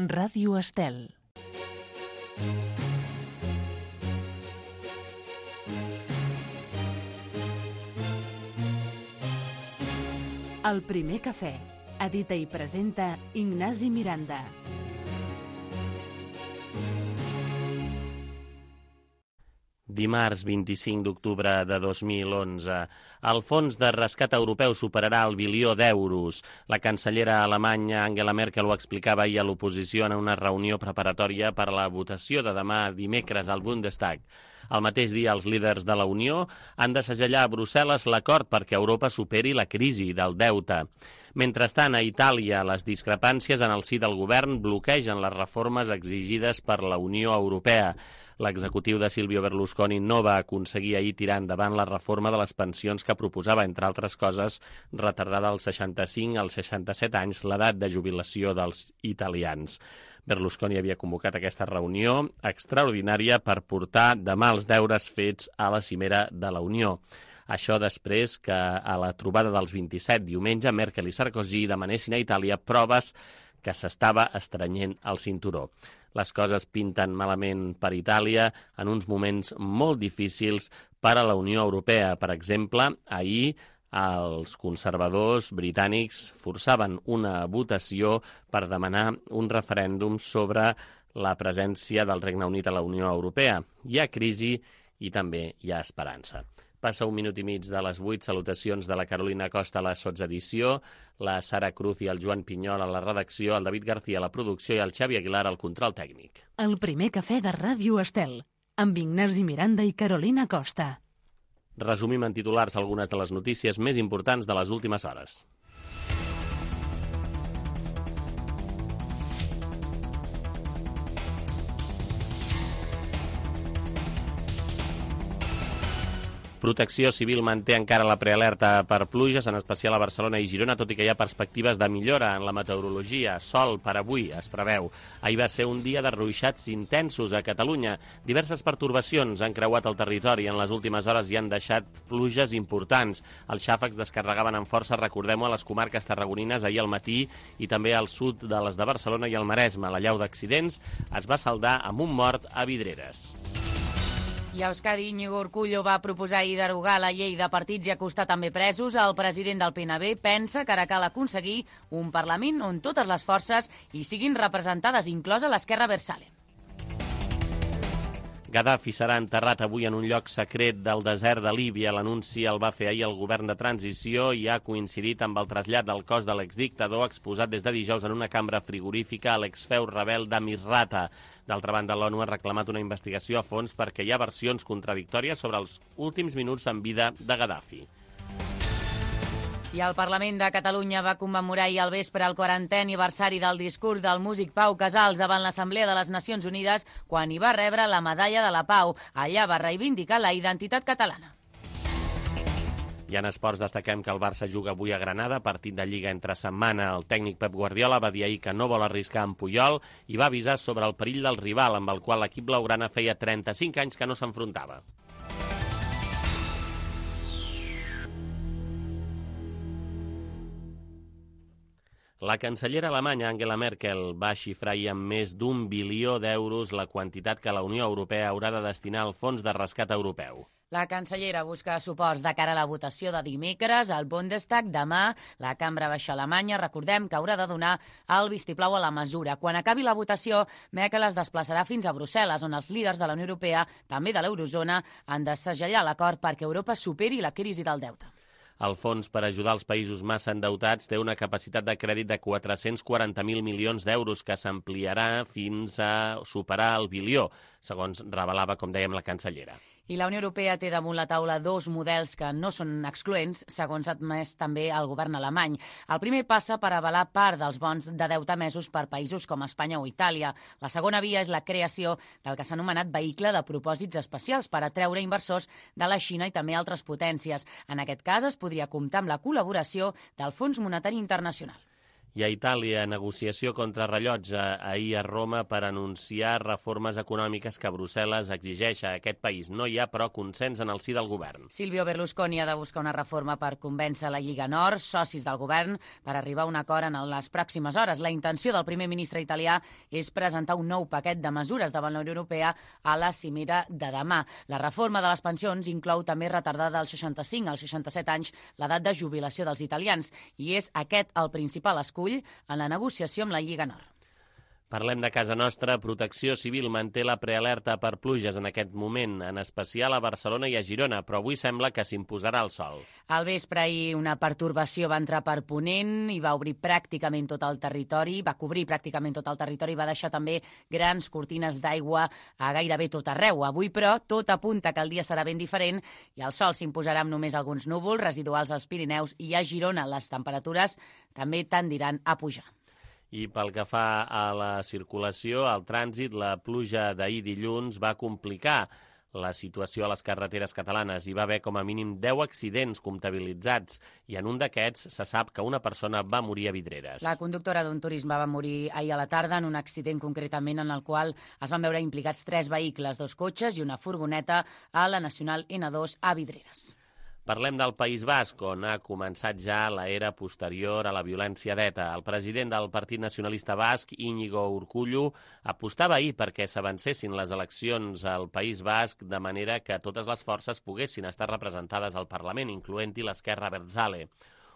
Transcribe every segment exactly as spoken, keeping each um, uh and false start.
Ràdio Estel. El primer cafè. Edita i presenta Ignasi Miranda. Dimarts vint-i-cinc d'octubre de dos mil onze. El fons de rescat europeu superarà el bilió d'euros. La cancellera alemanya Angela Merkel ho explicava ahir a l'oposició en una reunió preparatòria per a la votació de demà dimecres al Bundestag. El mateix dia, els líders de la Unió han de segellar a Brussel·les l'acord perquè Europa superi la crisi del deute. Mentrestant, a Itàlia, les discrepàncies en el si del govern bloquegen les reformes exigides per la Unió Europea. L'executiu de Silvio Berlusconi no va aconseguir ahir tirar endavant la reforma de les pensions que proposava, entre altres coses, retardar dels seixanta-cinc als seixanta-set anys l'edat de jubilació dels italians. Berlusconi havia convocat aquesta reunió extraordinària per portar demà els deures fets a la cimera de la Unió. Això després que a la trobada dels vint-i-set diumenge Merkel i Sarkozy demanessin a Itàlia proves que s'estava estrenyent el cinturó. Les coses pinten malament per Itàlia en uns moments molt difícils per a la Unió Europea. Per exemple, ahir els conservadors britànics forçaven una votació per demanar un referèndum sobre la presència del Regne Unit a la Unió Europea. Hi ha crisi i també hi ha esperança. Passa un minut i mig de les vuit. Salutacions de la Carolina Costa a la sotsedició, la Sara Cruz i el Joan Pinyol a la redacció, el David García a la producció i el Xavi Aguilar al control tècnic. El primer cafè de Ràdio Estel, amb Ignasi Miranda i Carolina Costa. Resumim en titulars algunes de les notícies més importants de les últimes hores. Protecció Civil manté encara la prealerta per pluges, en especial a Barcelona i Girona, tot i que hi ha perspectives de millora en la meteorologia. Sol per avui es preveu. Ahir va ser un dia de ruixats intensos a Catalunya. Diverses pertorbacions han creuat el territori i en les últimes hores hi han deixat pluges importants. Els xàfecs descarregaven amb força, recordem-ho, a les comarques tarragonines ahir al matí i també al sud de les de Barcelona i el Maresme. La llau d'accidents es va saldar amb un mort a Vidreres. I a Euskadi, Íñigo Urkullu va proposar ahir derogar la llei de partits i acostar també presos. El president del P N B pensa que ara cal aconseguir un Parlament on totes les forces hi siguin representades, inclosa l'esquerra Versale. Gaddafi serà enterrat avui en un lloc secret del desert de Líbia. L'anunci el va fer ahir el govern de transició i ha coincidit amb el trasllat del cos de l'exdictador exposat des de dijous en una cambra frigorífica a l'exfeu rebel de Misrata. D'altra banda, l'ONU ha reclamat una investigació a fons perquè hi ha versions contradictòries sobre els últims minuts en vida de Gaddafi. I el Parlament de Catalunya va commemorar ahir al vespre el quarantè aniversari del discurs del músic Pau Casals davant l'Assemblea de les Nacions Unides quan hi va rebre la Medalla de la Pau. Allà va reivindicar la identitat catalana. I en esports destaquem que el Barça juga avui a Granada, partit de Lliga entre setmana. El tècnic Pep Guardiola va dir ahir que no vol arriscar en Puyol i va avisar sobre el perill del rival, amb el qual l'equip blaugrana feia trenta-cinc anys que no s'enfrontava. La cancellera alemanya Angela Merkel va xifrar ahir amb més d'un bilió d'euros la quantitat que la Unió Europea haurà de destinar al Fons de Rescat Europeu. La cancellera busca suports de cara a la votació de dimecres al Bundestag. Demà, la Cambra Baixa alemanya, recordem que haurà de donar el vistiplau a la mesura. Quan acabi la votació, Merkel es desplaçarà fins a Brussel·les, on els líders de la Unió Europea, també de l'Eurozona, han de segellar l'acord perquè Europa superi la crisi del deute. El fons per ajudar els països massa endeutats té una capacitat de crèdit de quatre-cents quaranta mil milions d'euros que s'ampliarà fins a superar el bilió, segons revelava, com dèiem, la cancellera. I la Unió Europea té damunt la taula dos models que no són excloents, segons ha admès també el govern alemany. El primer passa per avalar part dels bons de deute emesos per països com Espanya o Itàlia. La segona via és la creació del que s'ha anomenat vehicle de propòsits especials per atreure inversors de la Xina i també altres potències. En aquest cas es podria comptar amb la col·laboració del Fons Monetari Internacional. I a Itàlia, negociació contra rellotge ahir a Roma per anunciar reformes econòmiques que Brussel·les exigeix a aquest país. No hi ha, però, consens en el si del govern. Silvio Berlusconi ha de buscar una reforma per convèncer la Lliga Nord, socis del govern, per arribar a un acord en les pròximes hores. La intenció del primer ministre italià és presentar un nou paquet de mesures davant la Unió Europea a la cimera de demà. La reforma de les pensions inclou també retardar dels seixanta-cinc als seixanta-set anys l'edat de jubilació dels italians i és aquest el principal escut en la negociació amb la Lliga Nord. Parlem de casa nostra. Protecció Civil manté la prealerta per pluges en aquest moment, en especial a Barcelona i a Girona, però avui sembla que s'imposarà el sol. Al vespre ahir una pertorbació va entrar per Ponent i va obrir pràcticament tot el territori, va cobrir pràcticament tot el territori i va deixar també grans cortines d'aigua a gairebé tot arreu. Avui, però, tot apunta que el dia serà ben diferent i el sol s'imposarà amb només alguns núvols residuals als Pirineus i a Girona les temperatures també tendiran a pujar. I pel que fa a la circulació, al trànsit, la pluja d'ahir dilluns va complicar la situació a les carreteres catalanes. Hi va haver com a mínim deu accidents comptabilitzats i en un d'aquests se sap que una persona va morir a Vidreres. La conductora d'un turisme va morir ahir a la tarda en un accident concretament en el qual es van veure implicats tres vehicles, dos cotxes i una furgoneta a la Nacional ena dos a Vidreres. Parlem del País Basc, on ha començat ja l'era posterior a la violència d'ETA. El president del Partit Nacionalista Basc, Íñigo Urkullu, apostava ahir perquè s'avancessin les eleccions al País Basc de manera que totes les forces poguessin estar representades al Parlament, incloent-hi l'Esquerra Abertzale.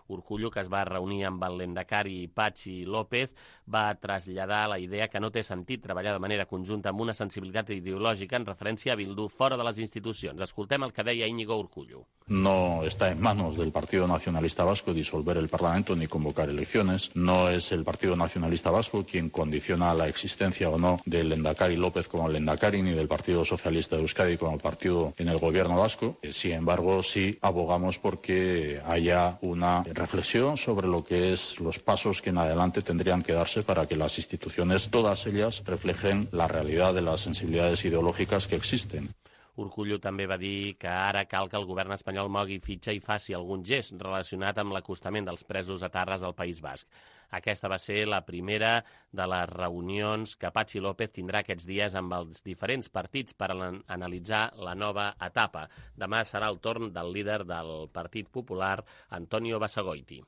Urkullu, que es va reunir amb el lehendakari Patxi López, va traslladar la idea que no té sentit treballar de manera conjunta amb una sensibilitat ideològica en referència a Bildu fora de les institucions. Escoltem el que deia Íñigo Urkullu. No está en manos del Partido Nacionalista Vasco disolver el Parlamento ni convocar elecciones. No es el Partido Nacionalista Vasco quien condiciona la existencia o no del lehendakari López como lehendakari ni del Partido Socialista de Euskadi como partido en el gobierno vasco. Sin embargo, sí abogamos porque haya una reflexión sobre lo que es los pasos que en adelante tendrían que darse para que las instituciones, todas ellas, reflejen la realidad de las sensibilidades ideológicas que existen. Urkullu també va dir que ara cal que el govern espanyol mogui fitxa i faci algun gest relacionat amb l'acostament dels presos etarres al País Basc. Aquesta va ser la primera de les reunions que Patxi López tindrà aquests dies amb els diferents partits per analitzar la nova etapa. Demà serà el torn del líder del Partit Popular, Antonio Basagoiti.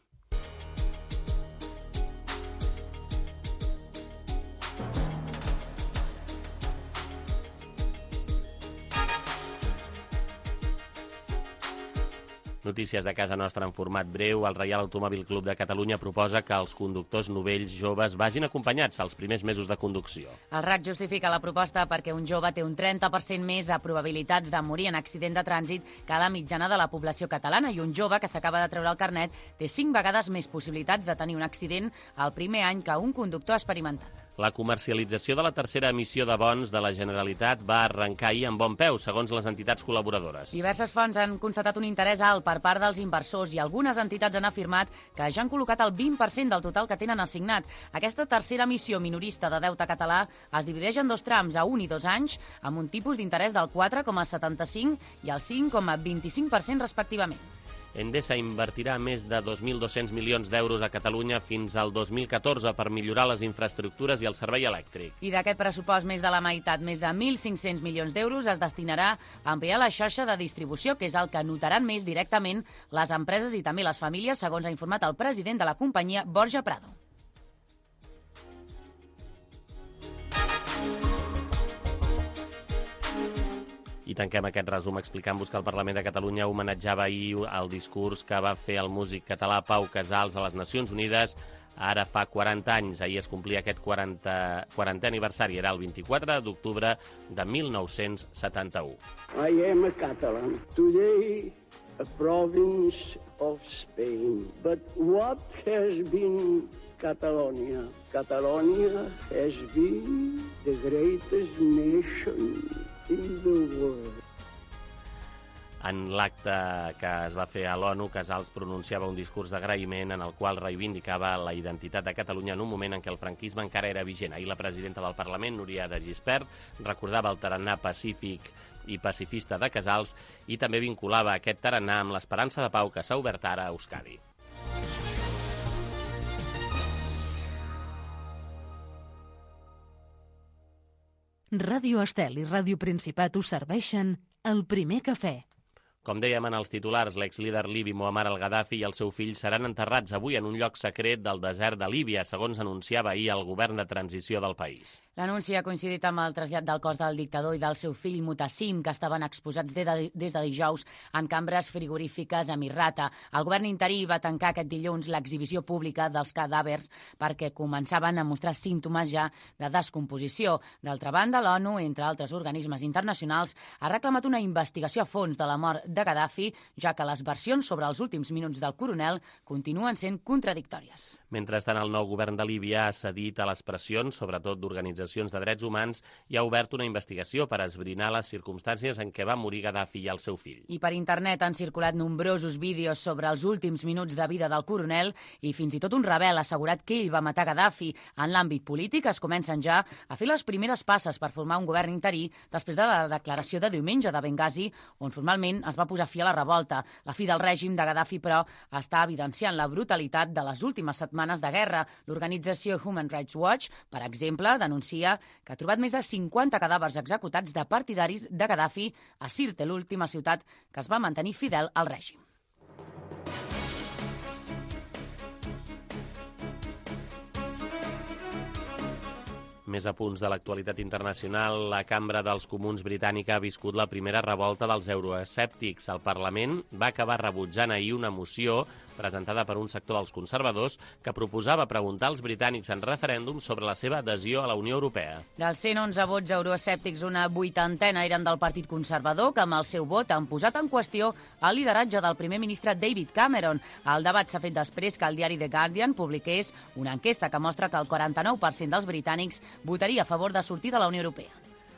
Notícies de casa nostra en format breu. El Reial Automòbil Club de Catalunya proposa que els conductors novells joves vagin acompanyats als primers mesos de conducció. El R A C justifica la proposta perquè un jove té un trenta per cent més de probabilitats de morir en accident de trànsit que la mitjana de la població catalana i un jove que s'acaba de treure el carnet té cinc vegades més possibilitats de tenir un accident el primer any que un conductor experimentat. La comercialització de la tercera emissió de bons de la Generalitat va arrencar ahir amb bon peu, segons les entitats col·laboradores. Diverses fonts han constatat un interès alt per part dels inversors i algunes entitats han afirmat que ja han col·locat el vint per cent del total que tenen assignat. Aquesta tercera emissió minorista de deute català es divideix en dos trams, a un i dos anys, amb un tipus d'interès del quatre coma setanta-cinc i el cinc coma vint-i-cinc per cent respectivament. Endesa invertirà més de dos mil dos-cents milions d'euros a Catalunya fins al dos mil catorze per millorar les infraestructures i el servei elèctric. I d'aquest pressupost, més de la meitat, més de mil cinc-cents milions d'euros, es destinarà a ampliar la xarxa de distribució, que és el que notaran més directament les empreses i també les famílies, segons ha informat el president de la companyia, Borja Prado. I tanquem aquest resum explicant-vos que el Parlament de Catalunya homenatjava ahir el discurs que va fer el músic català Pau Casals a les Nacions Unides ara fa quaranta anys. Ahir es complia aquest quarantè aniversari, era el vint-i-quatre d'octubre de mil nou-cents setanta-u. I am a Catalan, today a province of Spain, but what has been Catalonia? Catalonia has been the greatest nation in the world. En l'acte que es va fer a l'ONU, Casals pronunciava un discurs d'agraïment en el qual reivindicava la identitat de Catalunya en un moment en què el franquisme encara era vigent. Ahir la presidenta del Parlament, Núria de Gispert, recordava el tarannà pacífic i pacifista de Casals i també vinculava aquest tarannà amb l'esperança de pau que s'ha obert ara a Euskadi. Ràdio Estel i Ràdio Principat us serveixen El Primer Cafè. Com dèiem en els titulars, l'exlíder libi Muammar al-Gaddafi i el seu fill seran enterrats avui en un lloc secret del desert de Líbia, segons anunciava ahir el govern de transició del país. L'anunci ha coincidit amb el trasllat del cos del dictador i del seu fill Mutassim, que estaven exposats des de, des de dijous en cambres frigorífiques a Misrata. El govern interí va tancar aquest dilluns l'exhibició pública dels cadàvers perquè començaven a mostrar símptomes ja de descomposició. D'altra banda, l'ONU, entre altres organismes internacionals, ha reclamat una investigació a fons de la mort de Gaddafi, ja que les versions sobre els últims minuts del coronel continuen sent contradictòries. Mentrestant, el nou govern de Líbia ha cedit a les pressions, sobretot d'organitzacions de drets humans, i ha obert una investigació per esbrinar les circumstàncies en què va morir Gaddafi i el seu fill. I per internet han circulat nombrosos vídeos sobre els últims minuts de vida del coronel i fins i tot un rebel ha assegurat que ell va matar Gaddafi. En l'àmbit polític es comencen ja a fer les primeres passes per formar un govern interí després de la declaració de diumenge de Benghazi, on formalment es va posar fi a la revolta. La fi del règim de Gaddafi, però, està evidenciant la brutalitat de les últimes setmanes de guerra. L'organització Human Rights Watch, per exemple, denuncia que ha trobat més de cinquanta cadàvers executats de partidaris de Gaddafi a Sirte, l'última ciutat que es va mantenir fidel al règim. Més a punts de l'actualitat internacional, la Cambra dels Comuns britànica ha viscut la primera revolta dels euroescèptics. El Parlament va acabar rebutjant ahir una moció presentada per un sector dels conservadors que proposava preguntar als britànics en referèndum sobre la seva adhesió a la Unió Europea. Dels cent onze vots euroescèptics, una vuitantena eren del Partit Conservador, que amb el seu vot han posat en qüestió el lideratge del primer ministre David Cameron. El debat s'ha fet després que el diari The Guardian publiqués una enquesta que mostra que el quaranta-nou per cent dels britànics votaria a favor de sortir de la Unió Europea.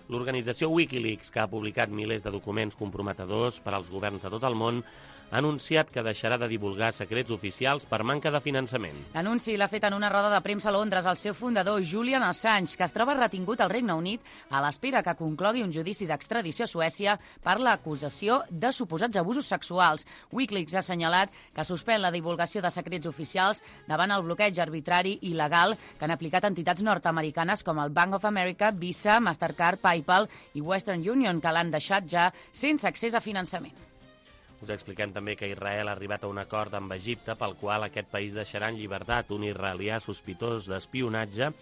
L'organització Wikileaks, que ha publicat milers de documents comprometedors per als governs de tot el món, ha anunciat que deixarà de divulgar secrets oficials per manca de finançament. L'anunci l'ha fet en una roda de premsa a Londres el seu fundador, Julian Assange, que es troba retingut al Regne Unit a l'espera que conclogui un judici d'extradició a Suècia per l'acusació de suposats abusos sexuals. Wikileaks ha assenyalat que suspèn la divulgació de secrets oficials davant el bloqueig arbitrari i il·legal que han aplicat entitats nord-americanes com el Bank of America, Visa, Mastercard, PayPal i Western Union, que l'han deixat ja sense accés a finançament. Us expliquem també que Israel ha arribat a un acord amb Egipte pel qual aquest país deixarà en llibertat un israelià sospitós d'espionatge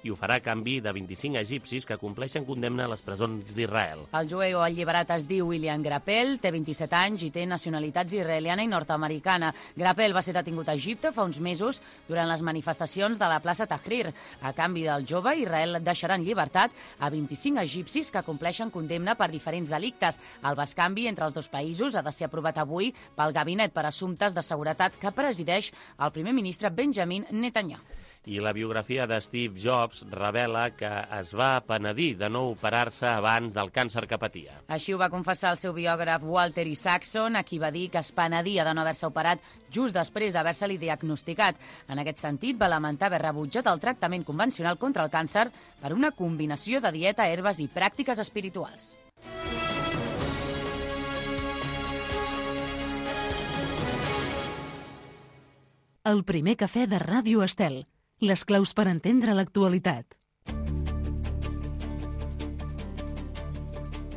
i ho farà a canvi de vint-i-cinc egipcis que compleixen condemna a les presons d'Israel. El jueu alliberat es diu William Grappel, té vint-i-set anys i té nacionalitats israeliana i nord-americana. Grappel va ser detingut a Egipte fa uns mesos durant les manifestacions de la plaça Tahrir. A canvi del jove, Israel deixarà en llibertat a vint-i-cinc egipcis que compleixen condemna per diferents delictes. El bescanvi entre els dos països ha de ser aprovat avui pel Gabinet per Assumptes de Seguretat que presideix el primer ministre Benjamin Netanyahu. I la biografia de Steve Jobs revela que es va penedir de no operar-se abans del càncer que patia. Així ho va confessar el seu biògraf Walter Isaacson, a qui va dir que es penedia de no haver-se operat just després d'haver-se-li diagnosticat. En aquest sentit, va lamentar haver rebutjat el tractament convencional contra el càncer per una combinació de dieta, herbes i pràctiques espirituals. El primer cafè de Ràdio Estel. Les claus per entendre l'actualitat.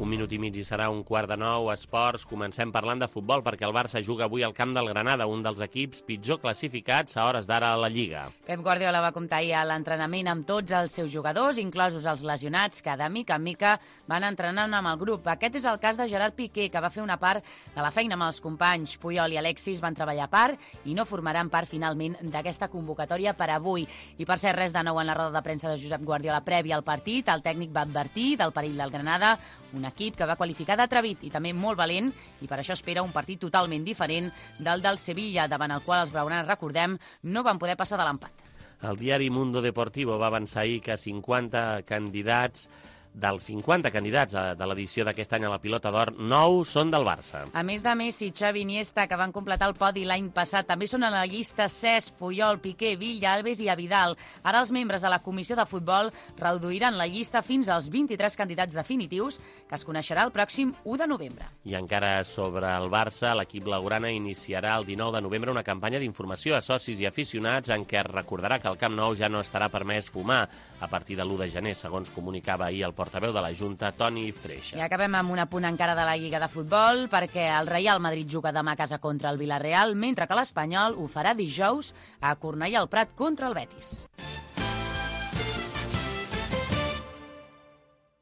Un minut i mig i serà un quart de nou. Esports. Comencem parlant de futbol perquè el Barça juga avui al camp del Granada, un dels equips pitjor classificats a hores d'ara a la Lliga. Pep Guardiola va comptar ahir a l'entrenament amb tots els seus jugadors, inclosos els lesionats, que de mica en mica van entrenant amb el grup. Aquest és el cas de Gerard Piqué, que va fer una part de la feina amb els companys. Puyol i Alexis van treballar a part i no formaran part finalment d'aquesta convocatòria per avui. I per ser res de nou en la roda de premsa de Josep Guardiola prèvia al partit, el tècnic va advertir del perill del Granada, un equip que va qualificar d'atrevit i també molt valent, i per això espera un partit totalment diferent del del Sevilla, davant el qual els blaugranes, recordem, no van poder passar de l'empat. El diari Mundo Deportivo va avançar ahir que cinquanta candidats dels cinquanta candidats de l'edició d'aquest any a la Pilota d'Or, nou són del Barça. A més de Messi, Xavi i Iniesta, que van completar el podi l'any passat, també són a la llista Cesc, Puyol, Piqué, Villa, Alves i Vidal. Ara els membres de la Comissió de Futbol reduiran la llista fins als vint-i-tres candidats definitius, que es coneixerà el pròxim u de novembre. I encara sobre el Barça, l'equip blaugrana iniciarà el dinou de novembre una campanya d'informació a socis i aficionats en què es recordarà que al Camp Nou ja no estarà permès fumar a partir de l'u de gener, segons comunicava ahir el portaveu de la Junta, Toni Freixa. I acabem amb un apunt encara de la Lliga de Futbol, perquè el Real Madrid juga demà a casa contra el Villarreal, mentre que l'Espanyol ho farà dijous a Cornellà al Prat contra el Betis.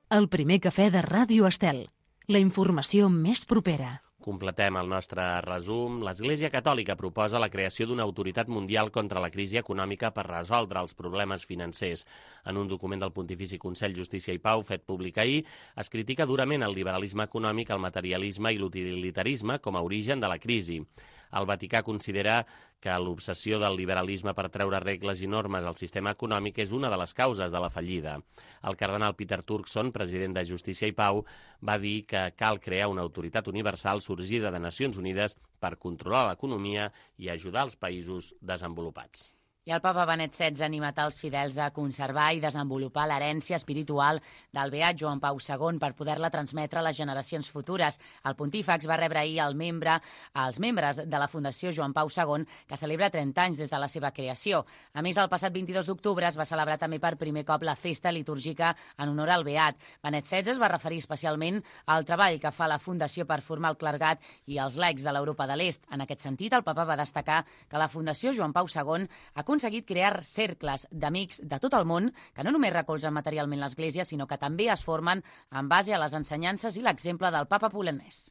El primer cafè de Ràdio Estel. La informació més propera. Completem el nostre resum. L'Església Catòlica proposa la creació d'una autoritat mundial contra la crisi econòmica per resoldre els problemes financers. En un document del Pontifici Consell Justícia i Pau fet públic ahir, es critica durament el liberalisme econòmic, el materialisme i l'utilitarisme com a origen de la crisi. El Vaticà considera que l'obsessió del liberalisme per treure regles i normes al sistema econòmic és una de les causes de la fallida. El cardenal Peter Turkson, president de Justícia i Pau, va dir que cal crear una autoritat universal sorgida de Nacions Unides per controlar l'economia i ajudar els països desenvolupats. I el papa Benet setze ha animat els fidels a conservar i desenvolupar l'herència espiritual del beat Joan Pau segon per poder-la transmetre a les generacions futures. El pontífex va rebre ahir el membre, els membres de la Fundació Joan Pau segon, que celebra trenta anys des de la seva creació. A més, el passat vint-i-dos d'octubre es va celebrar també per primer cop la festa litúrgica en honor al beat. Benet setze es va referir especialment al treball que fa la Fundació per formar el clergat i els laics de l'Europa de l'Est. En aquest sentit, el papa va destacar que la Fundació Joan Pau segon ha aconseguit crear cercles d'amics de tot el món que no només recolzen materialment l'Església, sinó que també es formen en base a les ensenyances i l'exemple del papa polonès.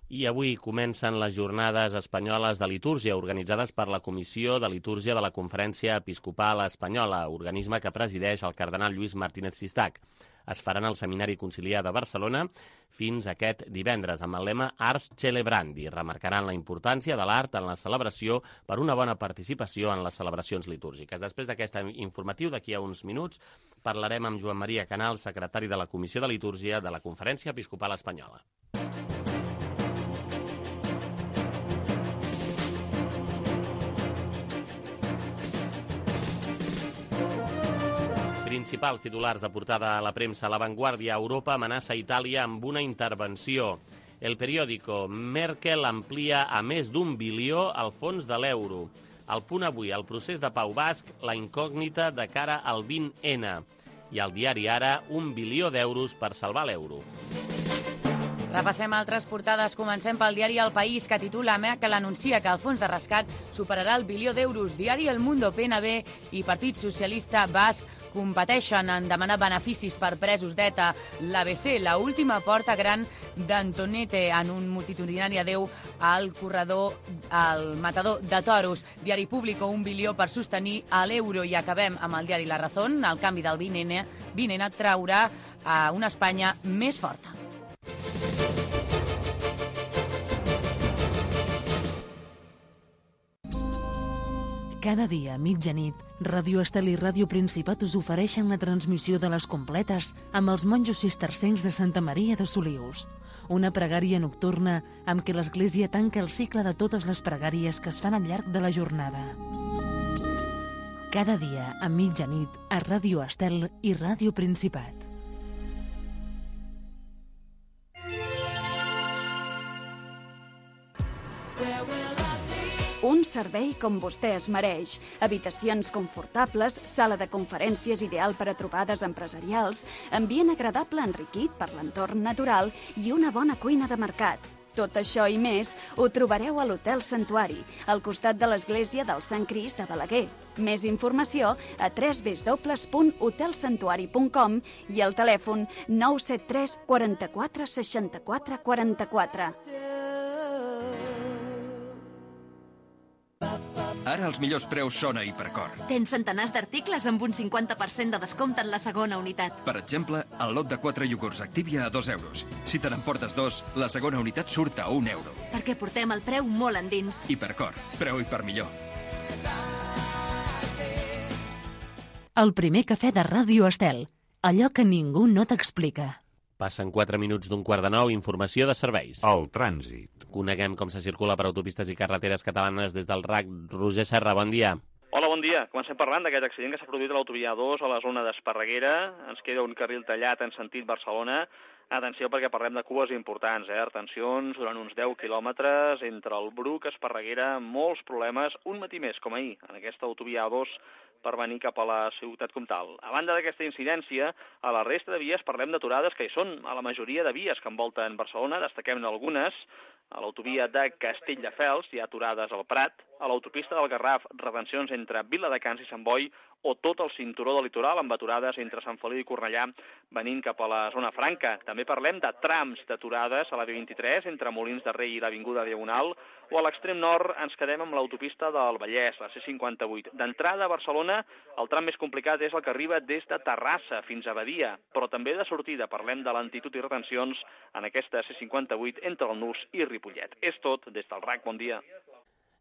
I avui comencen les jornades espanyoles de litúrgia organitzades per la Comissió de Litúrgia de la Conferència Episcopal Espanyola, organisme que presideix el cardenal Lluís Martínez Sistac. Es faran al Seminari Conciliar de Barcelona fins aquest divendres amb el lema Ars Celebrandi. Remarcaran la importància de l'art en la celebració per una bona participació en les celebracions litúrgiques. Després d'aquest informatiu, d'aquí a uns minuts, parlarem amb Joan Maria Canal, secretari de la Comissió de Litúrgia de la Conferència Episcopal Espanyola. Principals titulars de portada a la premsa. La Vanguardia. Europa amenaça Itàlia amb una intervenció. El Periódico. Merkel amplia a més d'un bilió el fons de l'euro. El Punt Avui. El procés de pau basc, la incògnita de cara al vint ene. I el diari Ara. Un bilió d'euros per salvar l'euro. Repassem altres portades. Comencem pel diari El País, que titula Merkel anuncia que el fons de rescat superarà el bilió d'euros. Diari El Mundo, P N B i Partit Socialista Basc competeixen en demanar beneficis per presos d'ETA. L'A B C, la última porta gran d'Antonete en un multitudinari adeu al corredor, al matador de toros. Diari Público, un bilió per sostenir a l'euro. I acabem amb el diari La Razón. El canvi del vint ene traurà a una Espanya més forta. Cada dia a mitjanit, Ràdio Estel i Ràdio Principat us ofereixen la transmissió de les completes amb els monjos cistercencs de Santa Maria de Solius. Una pregària nocturna amb què l'Església tanca el cicle de totes les pregàries que es fan al llarg de la jornada. Cada dia a mitjanit a Ràdio Estel i Ràdio Principat. Un servei com vostè es mereix. Habitacions confortables, sala de conferències ideal per a trobades empresarials, ambient agradable enriquit per l'entorn natural i una bona cuina de mercat. Tot això i més ho trobareu a l'Hotel Santuari, al costat de l'església del Sant Crist de Balaguer. Més informació a w w w punt hotel santuari punt com i al telèfon nou set tres quaranta-quatre seixanta-quatre quaranta-quatre. Ara els millors preus són a Hipercor. Tens centenars d'articles amb un cinquanta per cent de descompte en la segona unitat. Per exemple, el lot de quatre iogurts Activia a dos euros. Si te n'emportes dos, la segona unitat surt a un euro. Perquè portem el preu molt endins. Hipercor, preu i per millor. El primer cafè de Ràdio Estel. Allò que ningú no t'explica. Passen quatre minuts d'un quart de nou, informació de serveis. El trànsit. Coneguem com se circula per autopistes i carreteres catalanes des del R A C. Roger Serra, bon dia. Hola, bon dia. Comencem parlant d'aquest accident que s'ha produït a l'autovia A dos a la zona d'Esparreguera. Ens queda un carril tallat en sentit Barcelona. Atenció perquè parlem de cues importants, eh? Retencions durant uns deu quilòmetres entre el Bruc, Esparreguera, molts problemes, un matí més, com ahir, en aquesta autovia A dos per venir cap a la ciutat comtal. A banda d'aquesta incidència, a la resta de vies parlem d'aturades que hi són a la majoria de vies que envolten Barcelona, destaquem algunes. A l'autovia de Castelldefels hi ha aturades al Prat, a l'autopista del Garraf, retencions entre Viladecans i Sant Boi, o tot el cinturó del litoral amb aturades entre Sant Feliu i Cornellà venint cap a la zona franca. També parlem de trams d'aturades a la B vint-i-tres entre Molins de Rei i l'Avinguda Diagonal, o a l'extrem nord ens quedem amb l'autopista del Vallès, la C cinquanta-vuit. D'entrada a Barcelona, el tram més complicat és el que arriba des de Terrassa fins a Badia, però també de sortida parlem de lentitud i retencions en aquesta C cinquanta-vuit entre el Nus i Ripollet. És tot des del R A C. Bon dia.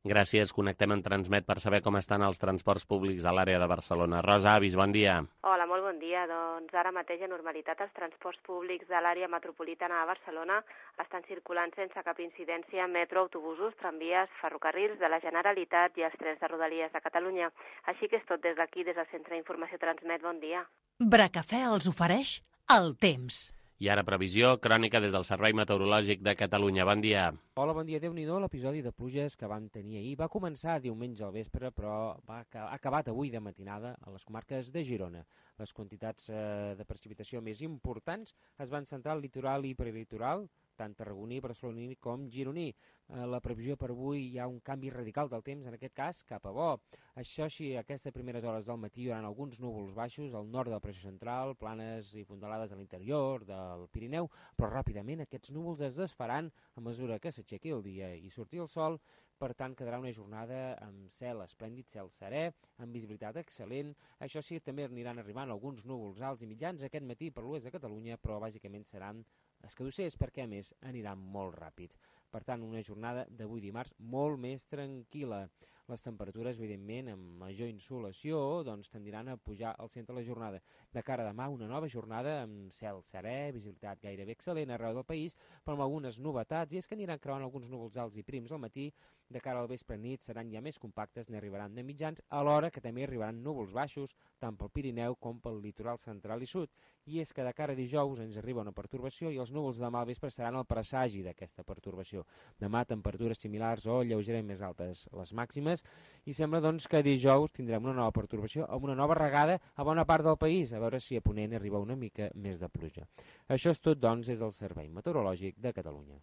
Gràcies. Connectem en Transmet per saber com estan els transports públics a l'àrea de Barcelona. Rosa Avis, bon dia. Hola, molt bon dia. Doncs ara mateix, a normalitat, els transports públics de l'àrea metropolitana de Barcelona estan circulant sense cap incidència metro, autobusos, tramvies, ferrocarrils de la Generalitat i els trens de Rodalies de Catalunya. Així que és tot des d'aquí, des del Centre d'Informació Transmet. Bon dia. Bracafè els ofereix el temps. I ara previsió, crònica des del Servei Meteorològic de Catalunya. Bon dia. Hola, bon dia. Déu-n'hi-do, l'episodi de pluges que vam tenir ahir va començar diumenge al vespre, però va ha acabat avui de matinada a les comarques de Girona. Les quantitats eh, de precipitació més importants es van centrar al litoral i prelitoral, tant tarragoní, barceloní com gironí. Eh, la previsió per avui hi ha un canvi radical del temps, en aquest cas cap a bo. Això sí, a aquestes primeres hores del matí hi haurà alguns núvols baixos al nord de la pressió central, planes i fondalades a l'interior del Pirineu, però ràpidament aquests núvols es desfaran a mesura que s'aixequi el dia i surti el sol. Per tant, quedarà una jornada amb cel esplèndid, cel serè, amb visibilitat excel·lent. Això sí, també aniran arribant alguns núvols alts i mitjans aquest matí per l'oest de Catalunya, però bàsicament seran escadussers perquè, a més, aniran molt ràpid. Per tant, una jornada d'avui dimarts molt més tranquil·la. Les temperatures, evidentment, amb major insolació, doncs tendiran a pujar al centre de la jornada. De cara a demà, una nova jornada amb cel serè, visibilitat gairebé excel·lent arreu del país, però amb algunes novetats, i és que aniran creuant alguns núvols alts i prims al matí. De cara al vespre nit seran ja més compactes, n'arribaran de mitjans, alhora que també arribaran núvols baixos, tant pel Pirineu com pel litoral central i sud. I és que de cara a dijous ens arriba una pertorbació i els núvols de demà al vespre seran el presagi d'aquesta pertorbació. Demà temperatures similars o lleugerament més altes les màximes, i sembla doncs que dijous tindrem una nova pertorbació amb una nova regada a bona part del país, a veure si a Ponent arriba una mica més de pluja. Això és tot, doncs, des del Servei Meteorològic de Catalunya.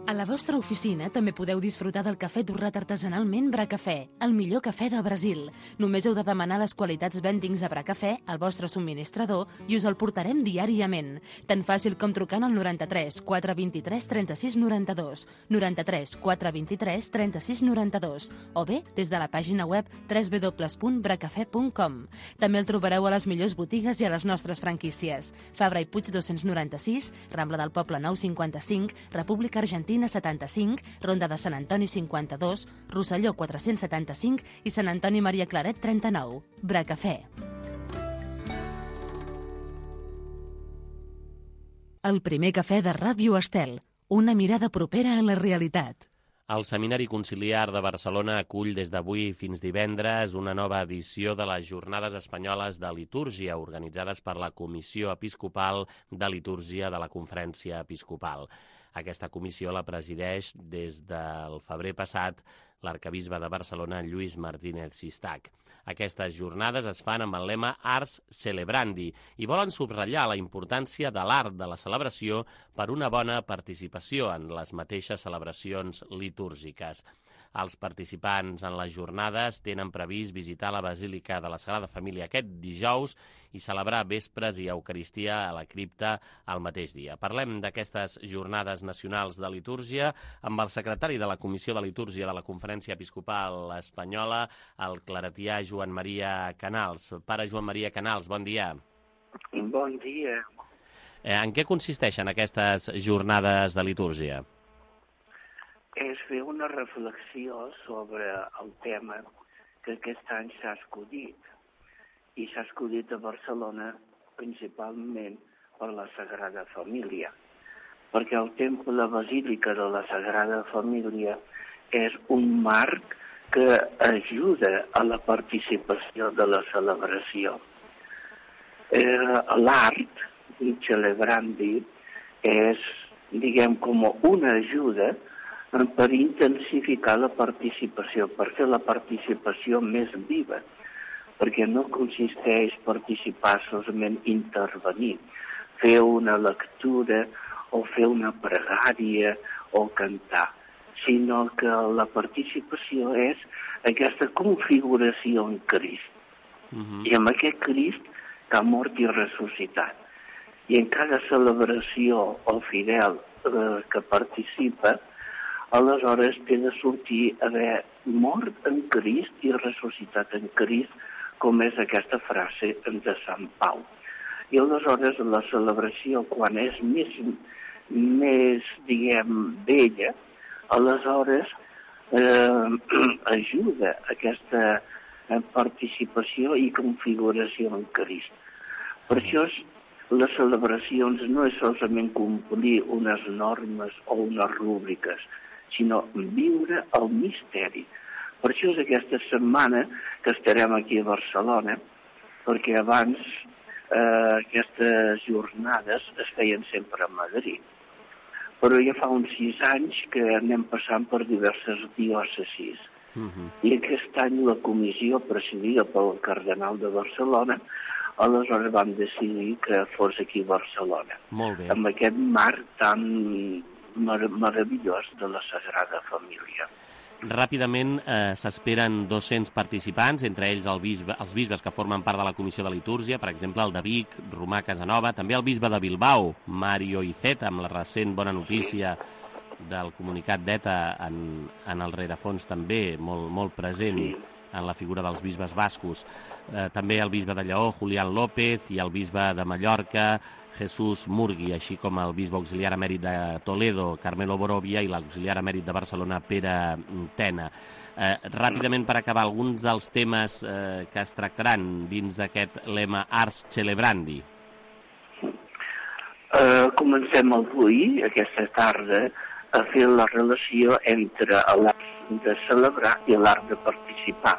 A la vostra oficina també podeu disfrutar del cafè torrat artesanalment Bracafè, el millor cafè de Brasil. Només heu de demanar les qualitats vendings a Bracafè al vostre subministrador i us el portarem diàriament. Tan fàcil com trucant al noranta-tres quatre vint-i-tres trenta-sis noranta-dos, noranta-tres quatre vint-i-tres trenta-sis noranta-dos, o bé des de la pàgina web w w w punt bracafè punt com. També el trobareu a les millors botigues i a les nostres franquícies. Fabra i Puig dos-cents noranta-sis, Rambla del Poble nou cinquanta-cinc, República Argentina setanta-cinc, Ronda de Sant Antoni cinquanta-dos, Rosselló quatre-cents setanta-cinc i Sant Antoni Maria Claret trenta-nou. Bracafè. El primer cafè de Ràdio Estel. Una mirada propera a la realitat. El Seminari Conciliar de Barcelona acull des d'avui fins divendres una nova edició de les Jornades Espanyoles de Litúrgia, organitzades per la Comissió Episcopal de Litúrgia de la Conferència Episcopal. Aquesta comissió la presideix des del febrer passat l'arcabisbe de Barcelona, Lluís Martínez Sistac. Aquestes jornades es fan amb el lema Ars Celebrandi i volen subratllar la importància de l'art de la celebració per una bona participació en les mateixes celebracions litúrgiques. Els participants en les jornades tenen previst visitar la Basílica de la Sagrada Família aquest dijous i celebrar vespres i Eucaristia a la cripta el mateix dia. Parlem d'aquestes jornades nacionals de litúrgia amb el secretari de la Comissió de Litúrgia de la Conferència Episcopal Espanyola, el claretià Joan Maria Canals. Pare Joan Maria Canals, bon dia. Bon dia. Eh, en què consisteixen aquestes jornades de litúrgia? És fer una reflexió sobre el tema que aquest any s'ha escollit. I s'ha escollit a Barcelona principalment per la Sagrada Família, perquè el temple, la Basílica de la Sagrada Família, és un marc que ajuda a la participació de la celebració. Eh, l'art, celebrandi, és, diguem, com una ajuda per intensificar la participació, per fer la participació més viva, perquè no consisteix participar solament intervenir, fer una lectura o fer una pregària o cantar, sinó que la participació és aquesta configuració en Crist. Uh-huh. I amb aquest Crist que ha mort i ressuscitat. I en cada celebració el fidel eh, que participa, aleshores té de sortir haver mort en Crist i ressuscitat en Crist, com és aquesta frase de Sant Pau. I aleshores la celebració, quan és més, més diguem, vella, aleshores eh, ajuda aquesta participació i configuració en Crist. Per això les celebracions no és solament complir unes normes o unes rúbriques, sinó viure el misteri. Per això és aquesta setmana que estarem aquí a Barcelona, perquè abans eh, aquestes jornades es feien sempre a Madrid. Però ja fa uns sis anys que anem passant per diverses diòcesis. Uh-huh. I aquest any la comissió presidida pel cardenal de Barcelona, aleshores vam decidir que fos aquí a Barcelona. Molt bé. Amb aquest marc tan mar meravellós de la Sagrada Família. Ràpidament eh, s'esperen dos-cents participants, entre ells el bisbe, els bisbes que formen part de la Comissió de Litúrgia, per exemple, el de Vic, Romà Casanova, també el bisbe de Bilbao, Mario Iceta, amb la recent bona notícia del comunicat d'ETA en, en el rerefons també, molt, molt present en la figura dels bisbes bascos. Eh, també el bisbe de Lleó, Julián López, i el bisbe de Mallorca, Jesús Murgui, així com el bisbe auxiliar emèrit de Toledo, Carmelo Borovia, i l'auxiliar emèrit de Barcelona, Pere Tena. Eh, ràpidament, per acabar, alguns dels temes eh, que es tractaran dins d'aquest lema Ars Celebrandi. Uh, comencem avui, aquesta tarda, a fer la relació entre l'art de celebrar i l'art de participar,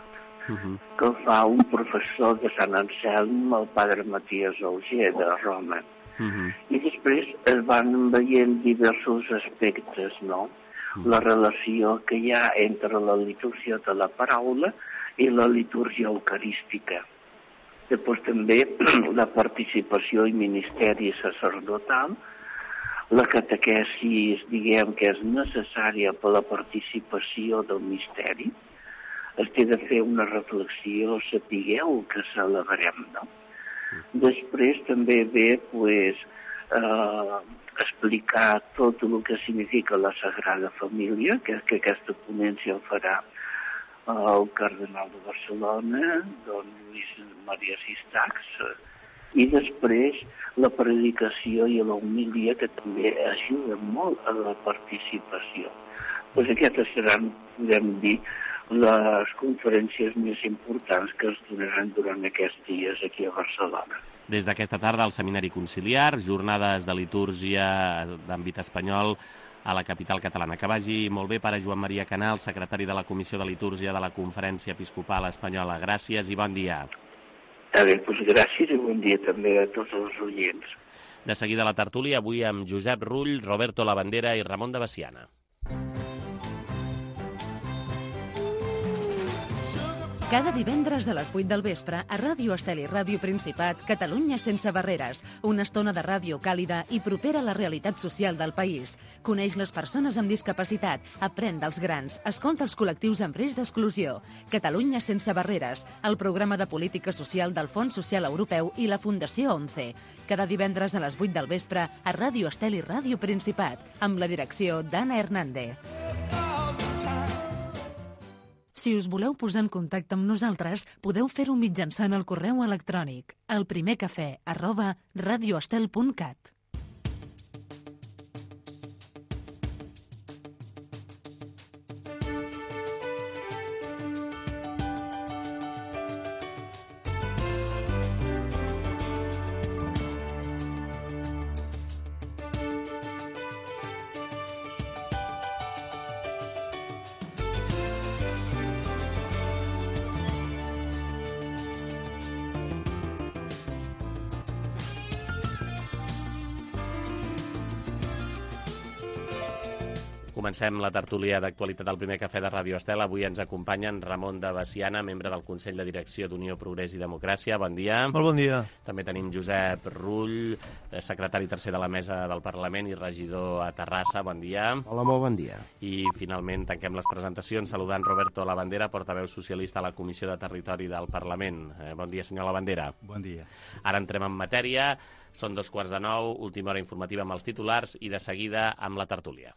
uh-huh. que el fa un professor de Sant Anselm, el padre Matías Auger, de Roma. Uh-huh. I després es van veient diversos aspectes, no? Uh-huh. La relació que hi ha entre la litúrgia de la paraula i la litúrgia eucarística. Després també la participació i ministeri sacerdotal, la catequesis, diguem, que és necessària per la participació del misteri. Es té de fer una reflexió, sapigueu que celebrem, no? Després també ve, pues, eh, explicar tot el que significa la Sagrada Família, que, que aquesta ponència el farà el cardenal de Barcelona, don Lluís Maria Sistax, i després la predicació i la homilia, que també ajuda molt a la participació. Pues aquestes seran, podem dir, les conferències més importants que es donaran durant aquests dies aquí a Barcelona. Des d'aquesta tarda, al Seminari Conciliar, jornades de litúrgia d'àmbit espanyol a la capital catalana. Que vagi molt bé, pare Joan Maria Canal, secretari de la Comissió de Litúrgia de la Conferència Episcopal Espanyola. Gràcies i bon dia. Està bé, doncs gràcies i bon dia també a tots els oients. De seguida la tertúlia, avui amb Josep Rull, Roberto Labandera i Ramon de Veciana. Cada divendres a les vuit del vespre a Ràdio Estel i Ràdio Principat, Catalunya sense barreres. Una estona de ràdio càlida i propera a la realitat social del país. Coneix les persones amb discapacitat, aprèn dels grans, escolta els col·lectius en risc d'exclusió. Catalunya sense barreres, el programa de política social del Fons Social Europeu i la Fundació ONCE. Cada divendres a les vuit del vespre a Ràdio Estel i Ràdio Principat, amb la direcció d'Anna Hernández. Si us voleu posar en contacte amb nosaltres, podeu fer-ho mitjançant el correu electrònic elprimercafè arroba radioestel punt cat. Comencem la tertúlia d'actualitat del primer cafè de Ràdio Estel. Avui ens acompanyen Ramon de Veciana, membre del Consell de Direcció d'Unió, Progrés i Democràcia. Bon dia. Molt bon dia. També tenim Josep Rull, secretari tercer de la Mesa del Parlament i regidor a Terrassa. Bon dia. Hola, molt bon dia. I finalment tanquem les presentacions saludant Roberto Labandera, portaveu socialista a la Comissió de Territori del Parlament. Eh, bon dia, senyor Labandera. Bon dia. Ara entrem en matèria. Són dos quarts de nou, última hora informativa amb els titulars i de seguida amb la tertúlia.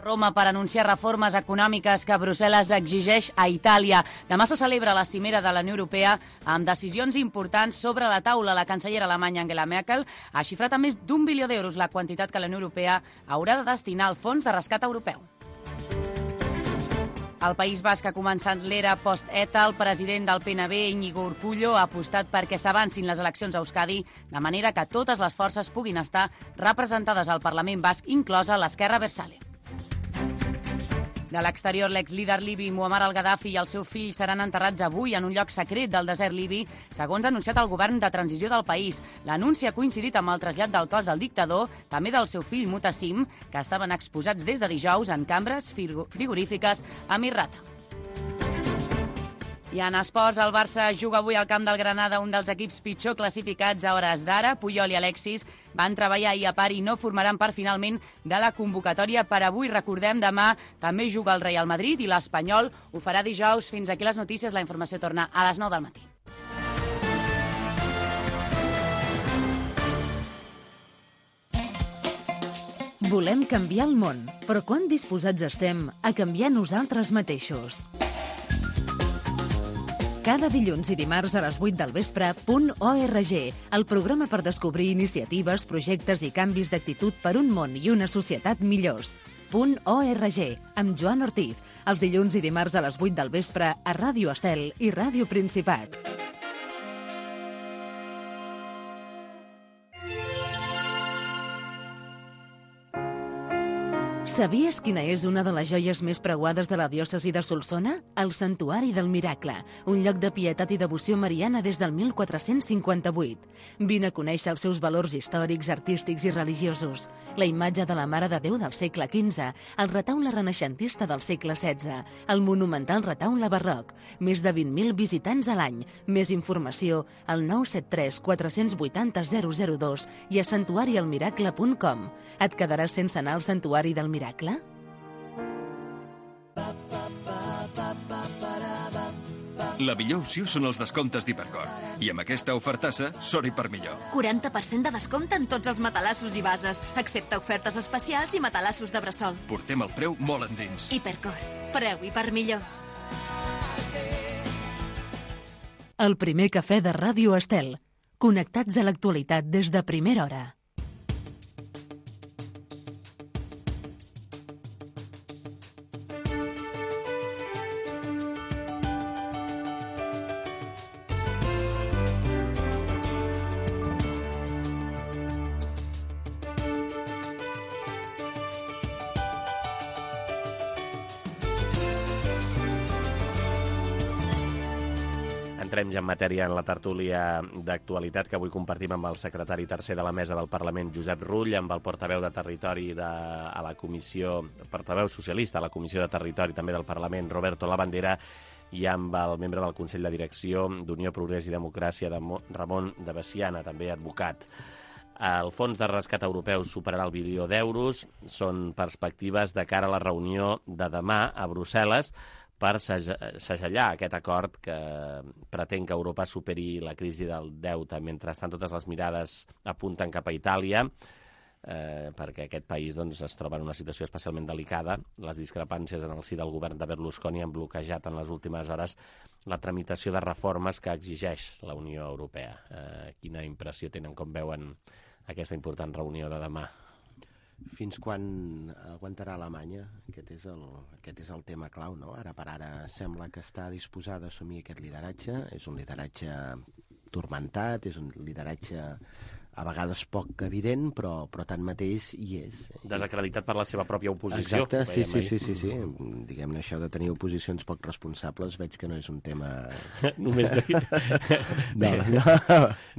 Roma per anunciar reformes econòmiques que Brussel·les exigeix a Itàlia. Demà se celebra la cimera de la Unió Europea amb decisions importants sobre la taula. La cancellera alemanya Angela Merkel ha xifrat a més d'un bilió d'euros la quantitat que la Unió Europea haurà de destinar al Fons de Rescat Europeu. El País Basc ha començat l'era post-ETA. El president del P N B, Íñigo Urkullu, ha apostat perquè s'avancin les eleccions a Euskadi de manera que totes les forces puguin estar representades al Parlament Basc, inclosa l'esquerra Abertzale. De l'exterior, l'exlíder libi Muammar al-Gaddafi i el seu fill seran enterrats avui en un lloc secret del desert libi, segons ha anunciat el govern de transició del país. L'anunci ha coincidit amb el trasllat del cos del dictador, també del seu fill Mutassim, que estaven exposats des de dijous en cambres frigorífiques a Misrata. I en esports, el Barça juga avui al camp del Granada, un dels equips pitjor classificats a hores d'ara. Puyol i Alexis van treballar ahir a part i no formaran part finalment de la convocatòria per avui. Recordem, demà també juga el Real Madrid i l'Espanyol ho farà dijous. Fins aquí les notícies. La informació torna a les nou del matí. Volem canviar el món, però quan disposats estem a canviar nosaltres mateixos? Cada dilluns i dimarts a les vuit del vespre, Punt org, el programa per descobrir iniciatives, projectes i canvis d'actitud per un món i una societat millors. Punt org, amb Joan Ortiz, els dilluns i dimarts a les vuit del vespre a Ràdio Estel i Ràdio Principat. Sabies quina és una de les joies més preuades de la diòcesi de Solsona? El Santuari del Miracle, un lloc de pietat i devoció mariana des del mil quatre-cents cinquanta-vuit. Vine a conèixer els seus valors històrics, artístics i religiosos. La imatge de la Mare de Déu del segle quinze, el retaule renaixentista del segle setze, el monumental retaule barroc, més de vint mil visitants a l'any. Més informació al nou set tres quatre vuit zero zero zero dos i a santuari el miracle punt com. Et quedaràs sense anar al Santuari del Miracle? La millor opció són els descomptes d'Hipercor. I amb aquesta ofertassa, sort i per millor. quaranta per cent de descompte en tots els matalassos i bases, excepte ofertes especials i matalassos de bressol. Portem el preu molt endins. Hipercor. Preu i per millor. El primer cafè de Ràdio Estel. Connectats a l'actualitat des de primera hora. Entrem ja en matèria en la tertúlia d'actualitat que avui compartim amb el secretari tercer de la Mesa del Parlament, Josep Rull, amb el portaveu de Territori de, a la Comissió, portaveu socialista a la Comissió de Territori també del Parlament, Roberto Labandera, i amb el membre del Consell de Direcció d'Unió, Progrés i Democràcia, de Ramon de Veciana, també advocat. El Fons de Rescat Europeu superarà el bilió d'euros. Són perspectives de cara a la reunió de demà a Brussel·les per segellar aquest acord que pretén que Europa superi la crisi del deute. Mentrestant, totes les mirades apunten cap a Itàlia, eh, perquè aquest país doncs, es troba en una situació especialment delicada. Les discrepàncies en el si del govern de Berlusconi han bloquejat en les últimes hores la tramitació de reformes que exigeix la Unió Europea. Eh, quina impressió tenen, com veuen aquesta important reunió de demà? Fins quan aguantarà Alemanya? Aquest és el, aquest és el tema clau, no? Ara per ara sembla que està disposada a assumir aquest lideratge. És un lideratge turmentat, és un lideratge a vegades poc evident, però, però tanmateix hi és. Desacreditat per la seva pròpia oposició. Exacte, sí, sí, sí, sí, sí. Diguem-ne, això de tenir oposicions poc responsables veig que no és un tema... Només d'aquí. No, no,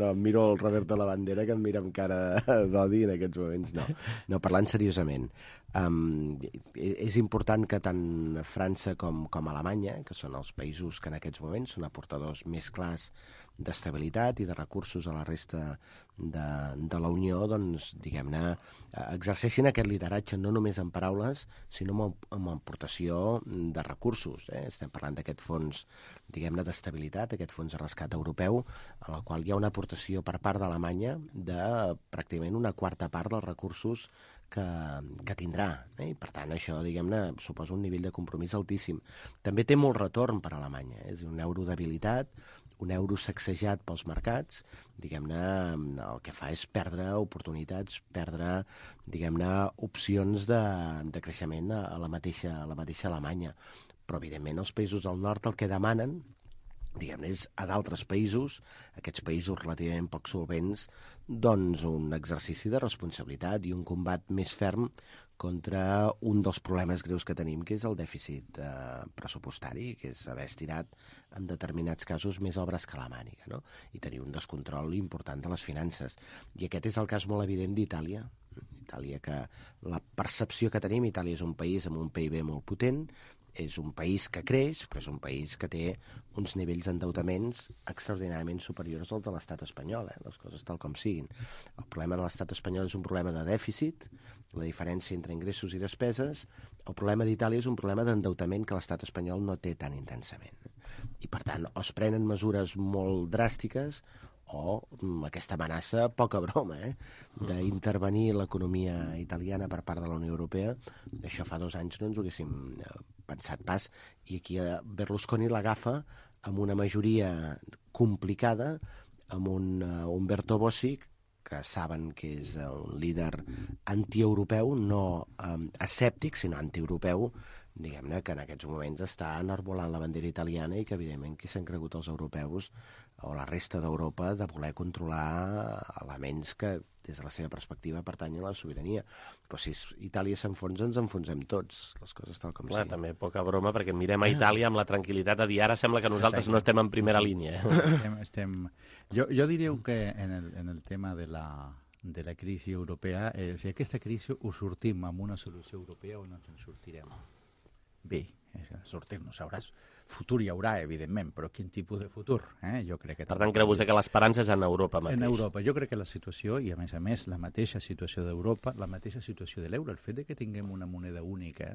no, em miro el Robert de la Bandera, que em mira amb cara d'odi en aquests moments. No, no parlant seriosament. Um, és important que tant França com, com Alemanya, que són els països que en aquests moments són aportadors més clars d'estabilitat i de recursos a la resta de, de la Unió, doncs, diguem-ne, exerceixin aquest lideratge no només en paraules, sinó amb, amb aportació de recursos. Eh? Estem parlant d'aquest fons, diguem-ne, d'estabilitat, aquest fons de rescat europeu, en el qual hi ha una aportació per part d'Alemanya de pràcticament una quarta part dels recursos que, que tindrà. Eh? I, per tant, això, diguem-ne, suposa un nivell de compromís altíssim. També té molt retorn per a Alemanya. Eh? És un euro debilitat, un euro sacsejat pels mercats, diguem-ne, el que fa és perdre oportunitats, perdre, diguem-ne, opcions de, de creixement a, a, la mateixa, a la mateixa Alemanya. Però, evidentment, els països del nord el que demanen, diguem-ne, és a d'altres països, aquests països relativament poc solvents, doncs un exercici de responsabilitat i un combat més ferm contra un dels problemes greus que tenim, que és el dèficit eh, pressupostari, que és haver estirat en determinats casos més el braç que la màniga, no? I tenir un descontrol important de les finances. I aquest és el cas molt evident d'Itàlia. Itàlia, que la percepció que tenim, Itàlia és un país amb un P I B molt potent, és un país que creix, però és un país que té uns nivells d'endeutaments extraordinàriament superiors als de l'estat espanyol, eh? Les coses tal com siguin. El problema de l'estat espanyol és un problema de dèficit, la diferència entre ingressos i despeses. El problema d'Itàlia és un problema d'endeutament que l'estat espanyol no té tan intensament. I, per tant, o es prenen mesures molt dràstiques o aquesta amenaça, poca broma, eh? d'intervenir l'economia italiana per part de la Unió Europea. Això fa dos anys no ens ho haguéssim pensat pas, i aquí Berlusconi l'agafa amb una majoria complicada, amb un uh, Umberto Bossi, que saben que és un líder antieuropeu, no um, escèptic, sinó antieuropeu, diguem-ne, que en aquests moments està enarbolant la bandera italiana i que, evidentment, qui s'han cregut els europeus o la resta d'Europa de voler controlar elements que, des de la seva perspectiva, pertanyen a la sobirania. Però si Itàlia s'enfonsa, ens enfonsem tots, les coses tal com Clar, sigui. també poca broma, perquè mirem a Itàlia amb la tranquil·litat de dir ara sembla que nosaltres no estem en primera línia. Estem, estem... Jo, jo diria que en el, en el tema de la, de la crisi europea, eh, si aquesta crisi ho sortim amb una solució europea o no ens en sortirem. Bé, sortir-nos, sabràs. Futur hi haurà, evidentment, però quin tipus de futur? Eh? Jo crec que per tant, creu vostè que l'esperança és en Europa mateix? En Europa. Jo crec que la situació, i a més a més la mateixa situació d'Europa, la mateixa situació de l'euro, el fet de que tinguem una moneda única,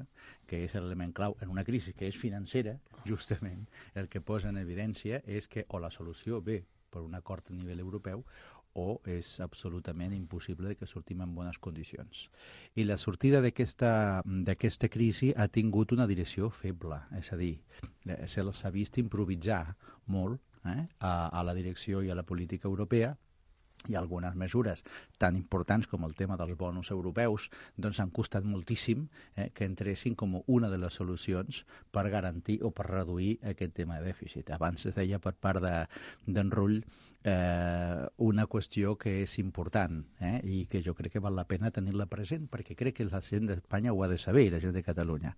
que és l'element clau en una crisi que és financera, justament, el que posa en evidència és que o la solució ve per un acord a nivell europeu o és absolutament impossible que sortim en bones condicions. I la sortida d'aquesta crisi ha tingut una direcció feble, és a dir, se'ls ha vist improvisar molt eh, a, a la direcció i a la política europea, i algunes mesures tan importants com el tema dels bonus europeus doncs han costat moltíssim eh, que entressin com una de les solucions per garantir o per reduir aquest tema de dèficit. Abans es deia per part d'en Rull eh, una qüestió que és important eh, i que jo crec que val la pena tenir-la present, perquè crec que la gent d'Espanya ho ha de saber, la gent de Catalunya.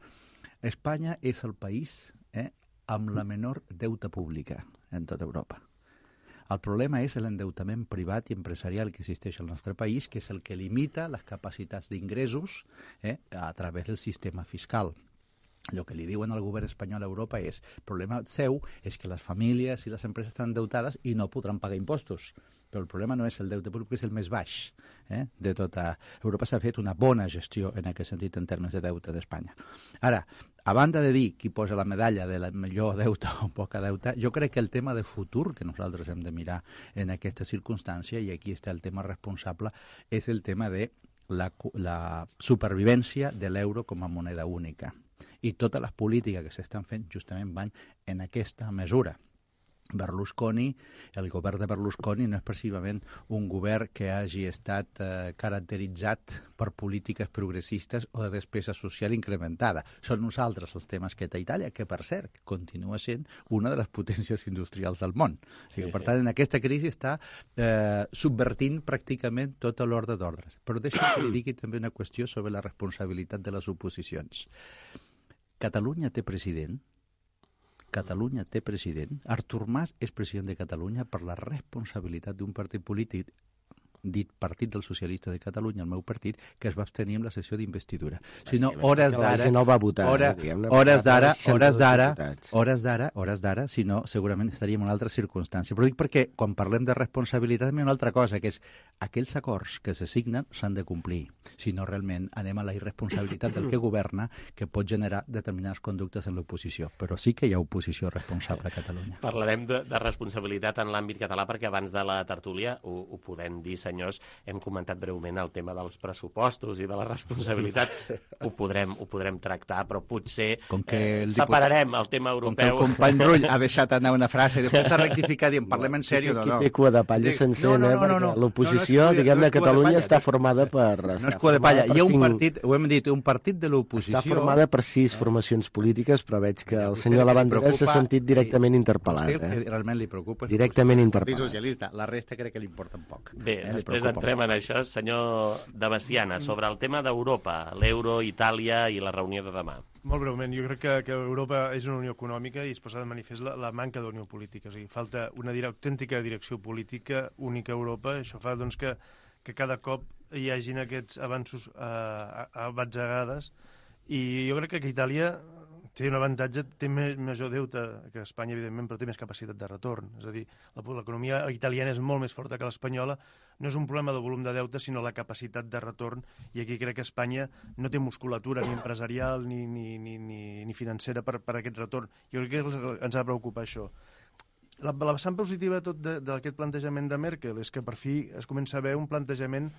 Espanya és el país eh, amb la menor deute pública en tota Europa. El problema és l'endeutament privat i empresarial que existeix al nostre país, que és el que limita les capacitats d'ingressos eh, a través del sistema fiscal. El que li diuen al govern espanyol a Europa és el problema seu és que les famílies i les empreses estan endeutades i no podran pagar impostos. Però el problema no és el deute públic, és el més baix eh, de tota Europa. S'ha fet una bona gestió en aquest sentit en termes de deute d'Espanya. Ara, a banda de dir qui posa la medalla de la millor deute o poca deute, jo crec que el tema de futur que nosaltres hem de mirar en aquesta circumstància, i aquí està el tema responsable, és el tema de la, la supervivència de l'euro com a moneda única. I totes les polítiques que s'estan fent justament van en aquesta mesura. Berlusconi, el govern de Berlusconi no és precisament un govern que hagi estat eh, caracteritzat per polítiques progressistes o de despesa social incrementada. Són nosaltres els temes que té Itàlia, que per cert continua sent una de les potències industrials del món. O sigui, sí, per tant, sí. En aquesta crisi està eh, subvertint pràcticament tota l'ordre d'ordres. Però deixa'm que li digui també una qüestió sobre la responsabilitat de les oposicions. Catalunya té president, Catalunya té president. Artur Mas és president de Catalunya per la responsabilitat d'un partit polític dit Partit dels Socialistes de Catalunya, el meu partit, que es va abstenir en la sessió d'investidura. Si no, hores d'ara... no va votar, hora, diguem-ne, hores d'ara, hores d'ara, hores d'ara, hores d'ara, si no, segurament estaríem en una altra circumstància. Però dic perquè, quan parlem de responsabilitat, hi ha una altra cosa, que és aquells acords que se signen s'han de complir. Si no, realment anem a la irresponsabilitat del que governa, que pot generar determinades conductes en l'oposició. Però sí que hi ha oposició responsable a Catalunya. Parlarem de, de responsabilitat en l'àmbit català, perquè abans de la tertúlia ho, ho podem dir, senyors, hem comentat breument el tema dels pressupostos i de la responsabilitat. Ho podrem, ho podrem tractar, però potser com que eh, el separarem el tema europeu. Com que el company Rull ha deixat anar una frase i després s'ha rectificat i en parlem en sèrio. Aquí no, no. té cua de palla sencera, no, no, no, no, no. L'oposició, no, no diguem-ne, no Catalunya està formada per... No és cua de palla. Hi ha un partit, ho hem dit, un partit de l'oposició... Està formada per sis formacions polítiques, però veig que el senyor Labandera s'ha sentit directament interpel·lat. Eh? Realment li preocupa. Directament interpel·lat. Socialista. La resta crec que li importa un poc. Bé, eh, després entrem en això. Senyor de Veciana, sobre el tema d'Europa, l'euro, Itàlia i la reunió de demà. Molt breument, jo crec que, que Europa és una unió econòmica i es posa de manifest la, la manca d'unió política. O sigui, falta una dire autèntica direcció política única a Europa. Això fa doncs, que, que cada cop hi hagin aquests avanços eh, abatzegades i jo crec que Itàlia té un avantatge, té més, major deute que Espanya, evidentment, però té més capacitat de retorn. És a dir, l'economia italiana és molt més forta que l'espanyola. No és un problema de volum de deute, sinó la capacitat de retorn. I aquí crec que Espanya no té musculatura ni empresarial ni, ni, ni, ni, ni financera per, per aquest retorn. Jo crec que ens ha de preocupar això. La, la vessant positiva tot d'aquest plantejament de Merkel és que per fi es comença a veure un plantejament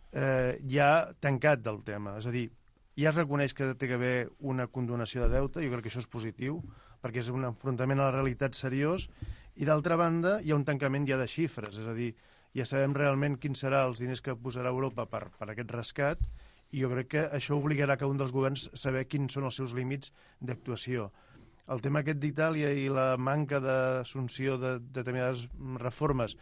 eh, ja tancat del tema. És a dir, ja es reconeix que té que haver una condonació de deute, jo crec que això és positiu, perquè és un enfrontament a la realitat seriós, i d'altra banda hi ha un tancament ja de xifres, és a dir, ja sabem realment quins seran els diners que posarà Europa per, per aquest rescat, i jo crec que això obligarà cada un dels governs a saber quins són els seus límits d'actuació. El tema aquest d'Itàlia i la manca d'assumpció de, de determinades reformes,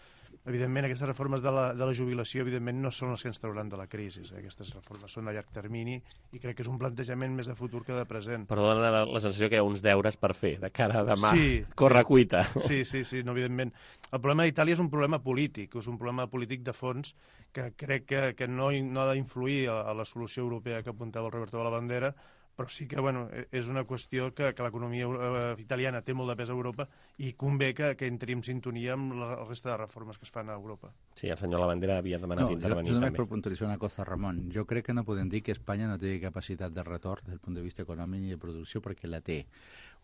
evidentment, aquestes reformes de la, de la jubilació, evidentment, no són les que ens trauran de la crisi. Aquestes reformes són a llarg termini i crec que és un plantejament més de futur que de present. Però dona la, la sensació que hi ha uns deures per fer de cara a demà. Sí, corre sí. cuita. Sí, sí, sí, no, evidentment. El problema d'Itàlia és un problema polític, és un problema polític de fons que crec que, que no, no ha d'influir a, a la solució europea que apuntava el Roberto Labandera, però sí que bueno, és una qüestió que, que l'economia eh, italiana té molt de pes a Europa i convé que, que entri en sintonia amb la resta de reformes que es fan a Europa. Sí, el senyor Labandera havia demanat no, intervenir jo, jo també. Per puntualitzar una cosa, Ramon. Jo crec que no podem dir que Espanya no té capacitat de retorn des del punt de vista econòmic i de producció, perquè la té.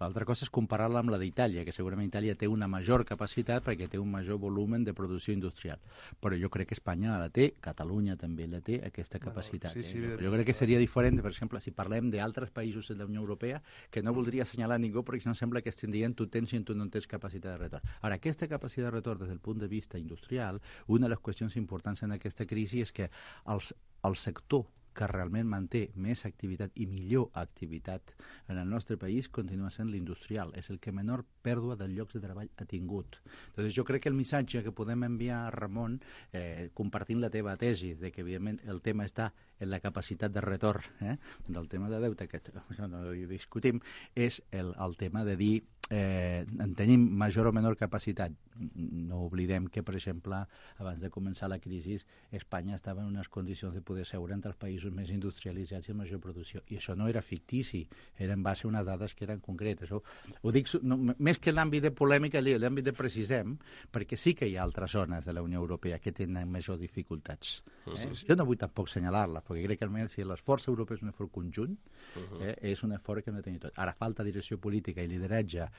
L'altra cosa és comparar-la amb la d'Itàlia, que segurament Itàlia té una major capacitat perquè té un major volumen de producció industrial. Però jo crec que Espanya la té, Catalunya també la té, aquesta capacitat. Sí, sí, eh? Jo crec que seria diferent, per exemple, si parlem d'altres països de la Unió Europea, que no voldria assenyalar ningú perquè no sembla que estin dient tu tens i tu no tens capacitat de retorn. Ara, aquesta capacitat de retorn des del punt de vista industrial, una de les qüestions importants en aquesta crisi és que els, el sector que realment manté més activitat i millor activitat en el nostre país continua sent l'industrial. És el que menor pèrdua de llocs de treball ha tingut. Entonces, jo crec que el missatge que podem enviar a Ramon, eh, compartint la teva tesi, de que evidentment el tema està en la capacitat de retorn eh, del tema de deute, que no discutim, és el, el tema de dir eh, en tenim major o menor capacitat. No oblidem que, per exemple, abans de començar la crisi, Espanya estava en unes condicions de poder seure entre els països més industrialitzats i amb major producció. I això no era fictici, era en base a unes dades que eren concretes. Ho, ho dic no, més que l'àmbit de polèmica, l'àmbit de precisem, perquè sí que hi ha altres zones de la Unió Europea que tenen majors dificultats. Eh? Sí, sí. Jo no vull tampoc assenyalar-la, perquè crec que almenys si l'esforç europeu és un esforç conjunt, eh, és un esforç que no tenim tot. Ara falta direcció política i lideratge,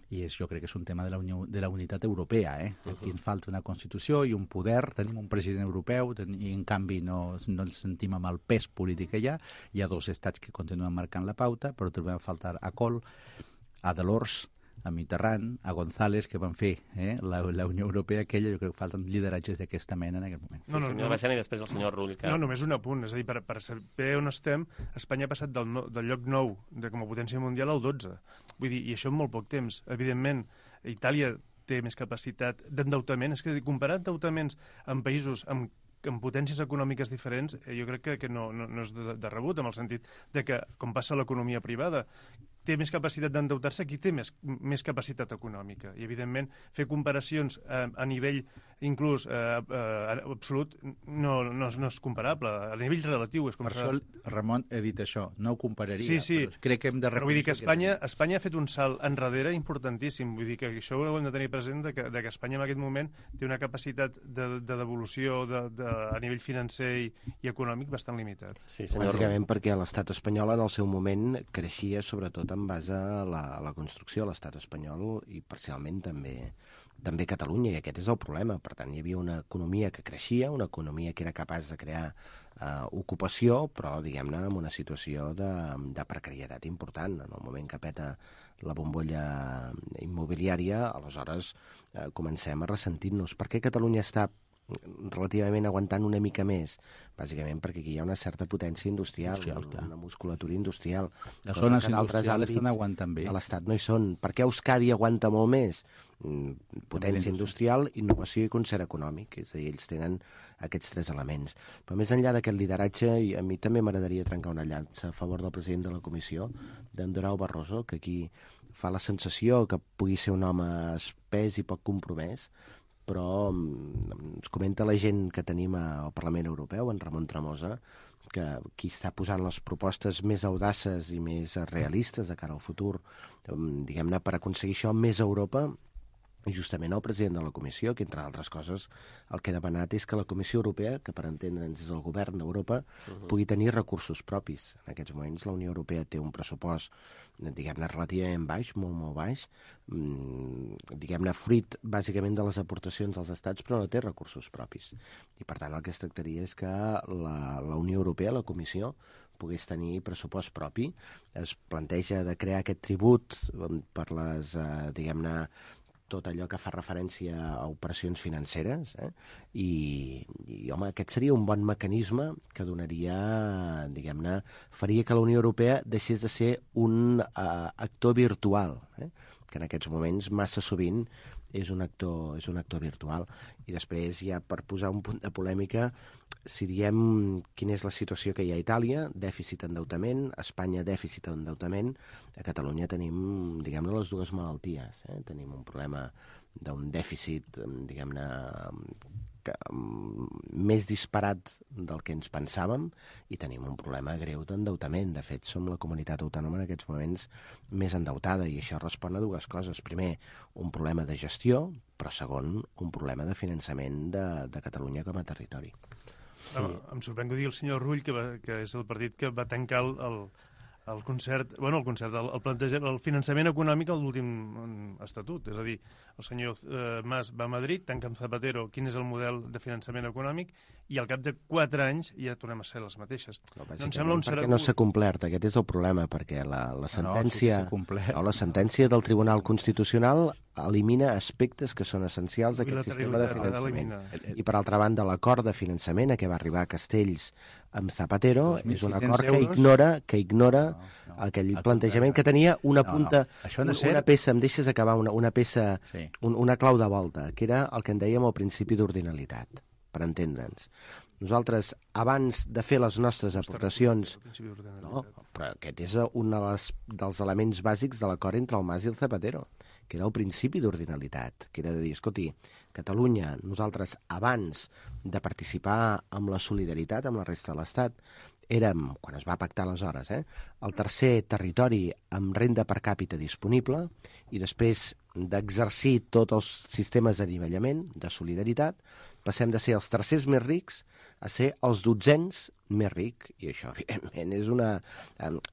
i és, jo crec que és un tema de la, unió, de la unitat europea. Eh? Aquí ens falta una Constitució i un poder, tenim un president europeu ten, i en canvi no, no ens sentim amb el pes polític que hi ha. Hi ha dos estats que continuen marcant la pauta, però trobem a faltar a Kohl, a Delors, a Mitterrand, a González, que van fer eh, la, la Unió Europea aquella. Jo crec que falten lideratges d'aquesta mena en aquest moment. No, no, sí, senyor Bacena, i després el senyor Rull. Que... No, només un apunt. És a dir, per, per saber on estem, Espanya ha passat del, no, del lloc nou de, com a potència mundial al dotze. Vull dir, i això en molt poc temps. Evidentment, Itàlia té més capacitat d'endeutament. És que comparar endeutaments en països amb amb potències econòmiques diferents, eh, jo crec que, que no, no, no és de, de rebut, en el sentit de que, com passa a l'economia privada, té més capacitat d'endeutar-se, qui té més, més capacitat econòmica. I, evidentment, fer comparacions a, a nivell inclús eh, eh, absolut no, no, no és comparable. A nivell relatiu és comparable. Per això, Ramon, he dit això, no ho compararia. Sí, sí. Però crec que hem de reconèixer. Vull dir que Espanya, que Espanya ha fet un salt enrere importantíssim. Vull dir que això ho hem de tenir present, de que, de que Espanya en aquest moment té una capacitat de, de devolució de, de, a nivell financer i, i econòmic bastant limitat. Sí, bàsicament perquè l'estat espanyol en el seu moment creixia sobretot en base a la, a la construcció, l'estat espanyol i parcialment també també Catalunya, i aquest és el problema. Per tant, hi havia una economia que creixia, una economia que era capaç de crear eh, ocupació, però, diguem-ne, en una situació de, de precarietat important. En el moment que peta la bombolla immobiliària, aleshores eh, comencem a ressentir-nos. Per què Catalunya està relativament aguantant una mica més? Bàsicament perquè aquí hi ha una certa potència industrial, industrial una, una musculatura industrial. Les zones industrials estan aguantant bé. A l'Estat no hi són. Per què Euskadi aguanta molt més? Potència industrial, innovació i concert econòmic. És a dir, ells tenen aquests tres elements. Però més enllà d'aquest lideratge, i a mi també m'agradaria trencar una llança a favor del president de la comissió, d'en Durão Barroso, que aquí fa la sensació que pugui ser un home espès i poc compromès, però ens comenta la gent que tenim al Parlament Europeu, en Ramon Tremosa, que qui està posant les propostes més audaces i més realistes de cara al futur, diguem-ne, per aconseguir això, més Europa, i justament el president de la Comissió, que entre altres coses el que ha demanat és que la Comissió Europea, que per entendre'ns és el govern d'Europa, uh-huh. pugui tenir recursos propis. En aquests moments la Unió Europea té un pressupost, diguem-ne, relativament baix, molt, molt baix, diguem-ne, fruit bàsicament de les aportacions dels estats, però no té recursos propis. I per tant el que es tractaria és que la, la Unió Europea, la Comissió, pogués tenir pressupost propi. Es planteja de crear aquest tribut per les, eh, diguem-ne, tot allò que fa referència a operacions financeres, eh? I, i, home, aquest seria un bon mecanisme que donaria, diguem-ne, faria que la Unió Europea deixés de ser un uh, actor virtual, eh? Que en aquests moments massa sovint és un actor, és un actor virtual. I després, ja per posar un punt de polèmica, si diem quina és la situació que hi ha a Itàlia, dèficit endeutament, Espanya dèficit endeutament, a Catalunya tenim, diguem-ne, les dues malalties. Eh? Tenim un problema d'un dèficit, diguem-ne, que, més disparat del que ens pensàvem, i tenim un problema greu d'endeutament. De fet, som la comunitat autònoma en aquests moments més endeutada, i això respon a dues coses. Primer, un problema de gestió, però segon, un problema de finançament de, de Catalunya com a territori. Sí. Em sorprèn que ho digui el senyor Rull, que, va, que és el partit que va tancar el, el, el concert, bueno, el concert, el, el, plantejament, el finançament econòmic a l'últim estatut. És a dir, el senyor eh, Mas va a Madrid, tanca amb Zapatero quin és el model de finançament econòmic, i al cap de quatre anys ja tornem a ser les mateixes. No, no em sembla un perquè no s'ha complert, aquest és el problema, perquè la, la sentència no, no, la sentència del Tribunal Constitucional elimina aspectes que són essencials d'aquest sistema de finançament. I, per altra banda, l'acord de finançament a què va arribar a Castells amb Zapatero és un acord que ignora, que ignora no, no, aquell plantejament que tenia una punta, no, no. Una, una peça, em deixes acabar, una, una peça, sí. un, una clau de volta, que era el que en dèiem el principi d'ordinalitat, per entendre'ns. Nosaltres, abans de fer les nostres aportacions... No, però aquest és un dels elements bàsics de l'acord entre el Mas i el Zapatero, que era el principi d'ordinalitat, que era de dir, escolti, Catalunya, nosaltres, abans de participar amb la solidaritat amb la resta de l'Estat, érem, quan es va pactar aleshores, eh, el tercer territori amb renda per càpita disponible, i després d'exercir tots els sistemes d'anivellament, de solidaritat, passem de ser els tercers més rics a ser els dotzens més ric, i això, evidentment, és, una,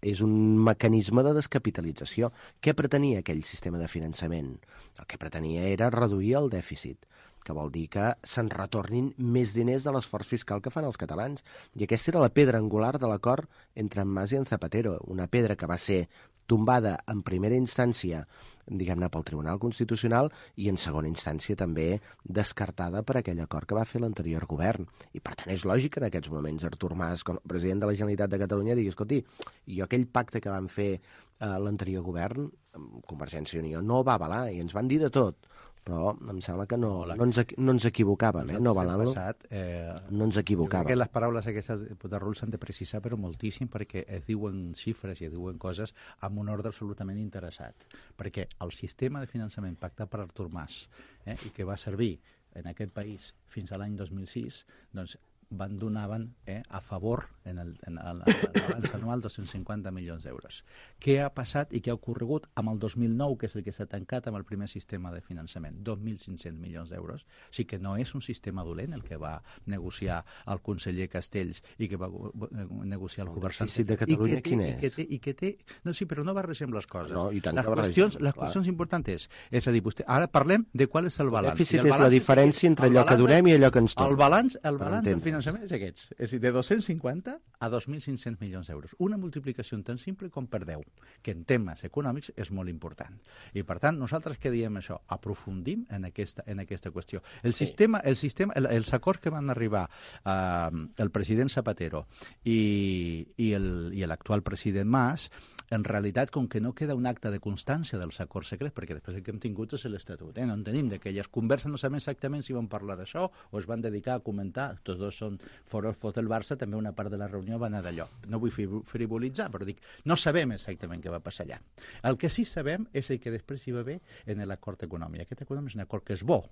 és un mecanisme de descapitalització. Què pretenia aquell sistema de finançament? El que pretenia era reduir el dèficit, que vol dir que se'n retornin més diners de l'esforç fiscal que fan els catalans. I aquesta era la pedra angular de l'acord entre en Mas i en Zapatero, una pedra que va ser tombada en primera instància, diguem-ne, pel Tribunal Constitucional i en segona instància també descartada per aquell acord que va fer l'anterior govern. I per tant és lògic que en aquests moments Artur Mas, com a president de la Generalitat de Catalunya, digui, escolti, jo aquell pacte que van fer eh, l'anterior govern, Convergència i Unió, no va avalar i ens van dir de tot. Però em sembla que no, no, ens, no ens equivocàvem, eh? No avalant-lo, eh, no ens equivocàvem. Jo crec que les paraules aquestes de diputat Rull s'han de precisar, però moltíssim, perquè es diuen xifres i es diuen coses amb un ordre absolutament interessat. Perquè el sistema de finançament pactat per Artur Mas, eh, i que va servir en aquest país fins a l'any dos mil sis, doncs van donaven eh, a favor en el, en el, l'abans anual dos-cents cinquanta milions d'euros. Què ha passat i què ha ocorregut amb el dos mil nou, que és el que s'ha tancat amb el primer sistema de finançament? dos mil cinc-cents milions d'euros. O sigui que no és un sistema dolent el que va negociar el conseller Castells i que va negociar el govern Sánchez de Catalunya, quin és? I que té, i que té, no, sí, però no barregem les coses. No, i tant les que qüestions, barregem, les clar. qüestions importants. És a dir, vostè, ara parlem de qual és el balanç. El dèficit el és la diferència entre allò que donem i allò que ens torna. El balanç, el balanç del finançament és aquests. És a dir, de dos-cents cinquanta a dos mil cinc-cents milions d'euros. Una multiplicació tan simple com per deu, que en temes econòmics és molt important. I, per tant, nosaltres què diem això? Aprofundim en aquesta, en aquesta qüestió. El sí. sistema, el sistema, el, els acords que van arribar eh, el president Zapatero i, i l'actual president Mas, en realitat, com que no queda un acte de constància dels acords secrets, perquè després el que hem tingut és l'Estatut, eh? no en tenim d'aquelles converses, no sabem exactament si van parlar d'això o es van dedicar a comentar, tots dos són foros fos del Barça, també una part de la reunió va anar d'allò. No vull frivolitzar, però dic, no sabem exactament què va passar allà. El que sí sabem és el que després hi va haver en l'acord econòmic. Aquest econòmic és un acord que és bo.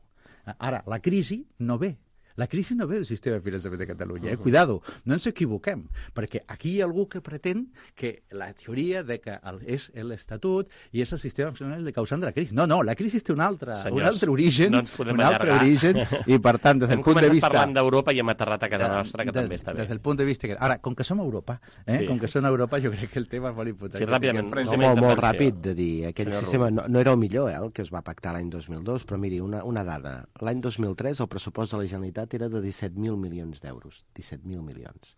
Ara, la crisi no ve. La crisi no ve del sistema de finançament de Catalunya, eh? Cuidado, no ens equivoquem, perquè aquí hi ha algú que pretén que la teoria de que el, és l'Estatut i és el sistema finançament el causant de la crisi. No, no, la crisi té un altre, Senyors, un altre origen, no un altre allargar. origen, i per tant, des del punt de vista... Hem parlant d'Europa i hem aterrat a casa de, nostra, que de, també està bé. Des del punt de vista... Que... Ara, com que som a Europa, eh? sí. com que som a Europa, jo crec que el tema és molt important. Sí, ràpidament. No, molt, molt ràpid de dir, aquell Senyor sistema no, no era el millor, eh, el que es va pactar l'any dos mil dos, però miri, una, una dada. L'any dos mil tres el pressupost de la Generalitat era de disset mil milions d'euros, disset mil milions.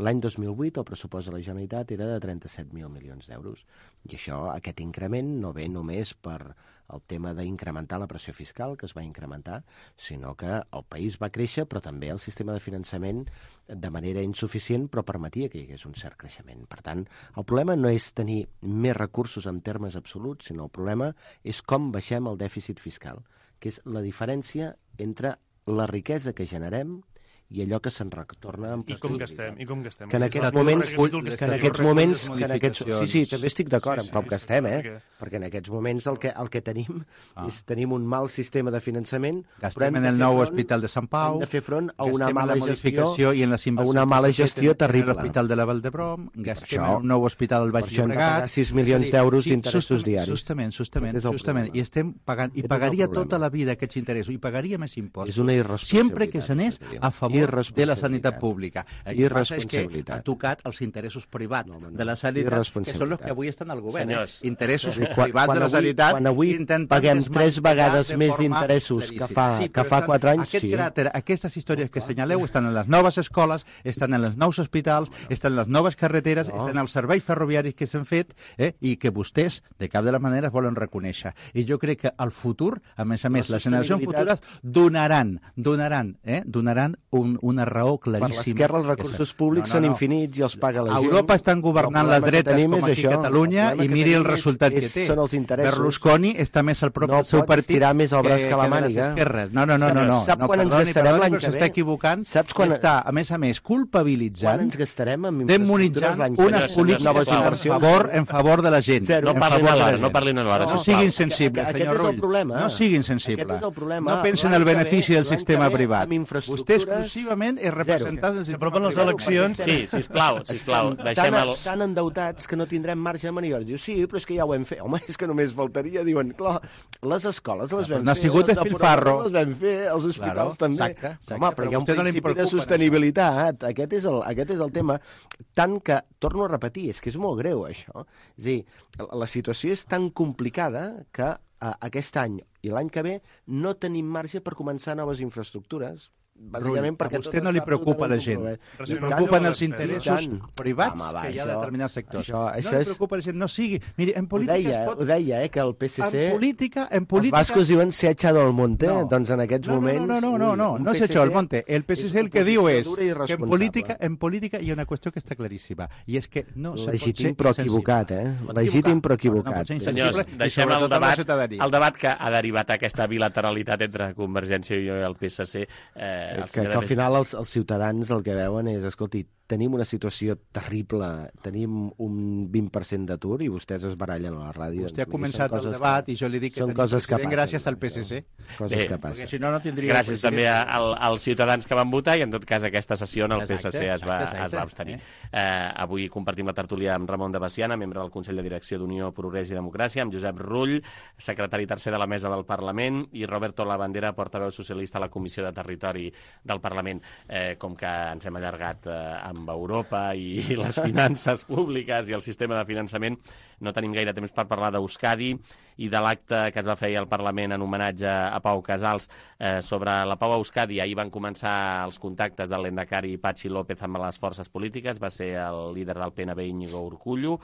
L'any dos mil vuit el pressupost de la Generalitat era de trenta-set mil milions d'euros. I això, aquest increment, no ve només per el tema d'incrementar la pressió fiscal, que es va incrementar, sinó que el país va créixer, però també el sistema de finançament de manera insuficient, però permetia que hi hagués un cert creixement. Per tant, el problema no és tenir més recursos en termes absoluts, sinó el problema és com baixem el dèficit fiscal, que és la diferència entre la riquesa que generem i allò que se'n retorna en I com gastem, i com gastem. Que en aquests moments, que en aquests moments, que en aquests, sí, sí, també estic d'acord sí, sí, amb com gastem, eh? Perquè... perquè en aquests moments el que, el que tenim ah. és tenim un mal sistema de finançament. Gastem en el nou front, hospital de Sant Pau, hem de fer front a una mala gestió, i en les a una mala gestió terrible. L'hospital de la Vall d'Hebron, gastem en un nou hospital al Baix Llobregat, sis milions d'euros d'interessos diaris. Justament, justament, justament, i estem pagant, i pagaria tota la vida aquests interessos, i pagaria més impostos. És una irresponsabilitat. Sempre que s'anés a favor de la sanitat pública. El que passa és que ha tocat els interessos privats no, no, de la sanitat, que són els que avui estan al govern. Senyors, eh? Interessos quan, privats quan de la sanitat. Quan avui paguem tres vegades més d'interessos que fa, sí, que fa quatre anys, aquest sí. Cràter, aquestes històries que assenyaleu estan en les noves escoles, estan en els nous hospitals, estan en les noves carreteres, no. estan en els serveis ferroviaris que s'han fet eh? i que vostès, de cap de les maneres, volen reconèixer. I jo crec que al futur, a més a més, les generacions futures donaran, donaran, eh? donaran un, una raó claríssima. Per l'esquerra els recursos públics no, no, no. són infinits i els paga la gent. A Europa estan governant les dretes com aquí a Catalunya i miri el resultat és, que té. Són els interessos. Berlusconi està més al prop no del seu partit tirar més el braç que, que la màniga. No, no, no, no, no. Sap no, quan perdoni, ens gastarem l'any que ve? S'està equivocant. Saps quan està, a més a més, culpabilitzant, quan ens gastarem amb demonitzant unes polítiques en favor, en favor de la gent. No parlin alhora, no parlin alhora. No siguin sensibles, senyor Rull. No siguin sensibles. No pensen en el benefici del sistema privat. Vostè exclusivament és representant del sistema les eleccions... Sí, sisplau, sisplau, deixem el... Tan endeutats que no tindrem marge de maniobra. Diu, sí, però és que ja ho hem fet. Home, és que només faltaria. Diuen, clar, les escoles les vam fer... No ha sigut despilfarro. Les vam fer, els hospitals també. Home, però hi ha un principi de sostenibilitat. Aquest és, el, aquest és el tema. Tant que, torno a repetir, és que és molt greu, això. És a dir, la situació és tan complicada que aquest any i l'any que ve no tenim marge per començar noves infraestructures bàsicament perquè a vostè no li preocupa la gent, li preocupen els interessos privats Home, va, que hi ha això, determinats sectors. Això, això no li és... preocupa la gent, no sigui... Miri, en política ho deia, es pot... ho deia, eh, que el P C C... En política... En política... Els bascos diuen se ha echado al monte, no. doncs en aquests no, no, moments... No, no, no, no, no, no se ha echado al monte. El P C C el que diu és que en política, en política hi ha una qüestió que està claríssima, i és que no se pot ser legítim però equivocat, eh? Legítim però equivocat. Senyors, deixem el debat, el debat que ha derivat aquesta bilateralitat entre Convergència i el P S C. Eh, el que, que al final els, els ciutadans el que veuen és, escolti, tenim una situació terrible, tenim un vint per cent d'atur i vostès es barallen a la ràdio. Vostè ha començat el debat i jo li dic que tenim president gràcies al P S C. Coses Bé, que passen. Perquè si no, no tindria gràcies també al, als ciutadans que van votar i en tot cas aquesta sessió el P S C es va, exacte, es va abstenir. Eh, avui compartim la tertúlia amb Ramon de Baciana, membre del Consell de Direcció d'Unió, Progrés i Democràcia, amb Josep Rull, secretari tercer de la Mesa del Parlament, i Roberto Labandera, portaveu socialista a la Comissió de Territori del Parlament. Eh, com que ens hem allargat eh, amb Europa i les finances públiques i el sistema de finançament, no tenim gaire temps per parlar d'Euskadi i de l'acte que es va fer al Parlament en homenatge a Pau Casals eh, sobre la Pau a Euskadi. Ahir van començar els contactes del lehendakari Patxi López amb les forces polítiques, va ser el líder del P N V, Íñigo Urkullu,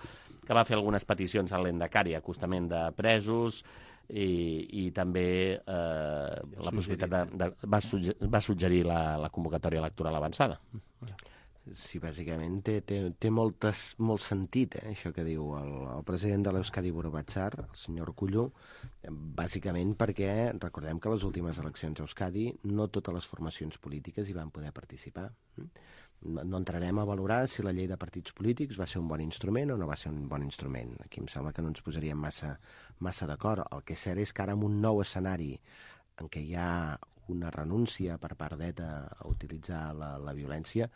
que va fer algunes peticions al lehendakari, acostament de presos, i, i també eh, la possibilitat de, de, va, sugge, va suggerir la, la convocatòria electoral avançada. Sí, bàsicament té, té, té moltes, molt sentit, eh, això que diu el, el president de l'Euskadi Burobatzar, el senyor Urkullu, bàsicament perquè recordem que a les últimes eleccions a Euskadi no totes les formacions polítiques hi van poder participar. No, no entrarem a valorar si la llei de partits polítics va ser un bon instrument o no va ser un bon instrument. Aquí em sembla que no ens posaríem massa, massa d'acord. El que és cert és que ara en un nou escenari en què hi ha una renúncia per part d'ETA a utilitzar la, la violència,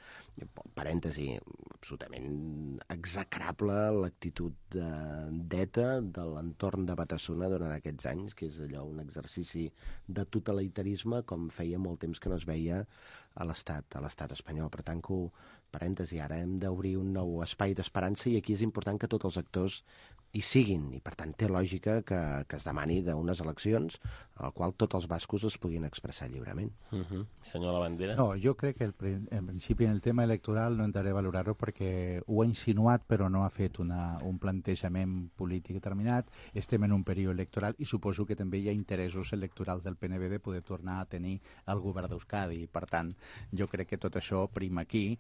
parèntesi, absolutament execrable l'actitud d'ETA de l'entorn de Batasuna durant aquests anys, que és allò un exercici de totalitarisme com feia molt temps que no es veia a l'estat a l'estat espanyol. Per tant, que, parèntesi, ara hem d'obrir un nou espai d'esperança i aquí és important que tots els actors hi siguin, i per tant té lògica que, que es demani d'unes eleccions a la qual tots els bascos es puguin expressar lliurement. Uh-huh. Senyor Labandera? No, jo crec que el, en principi en el tema electoral no entraré a valorar-ho perquè ho ha insinuat però no ha fet una, un plantejament polític determinat. Estem en un període electoral i suposo que també hi ha interessos electorals del P N V de poder tornar a tenir el govern d'Euskadi. Per tant, jo crec que tot això prima aquí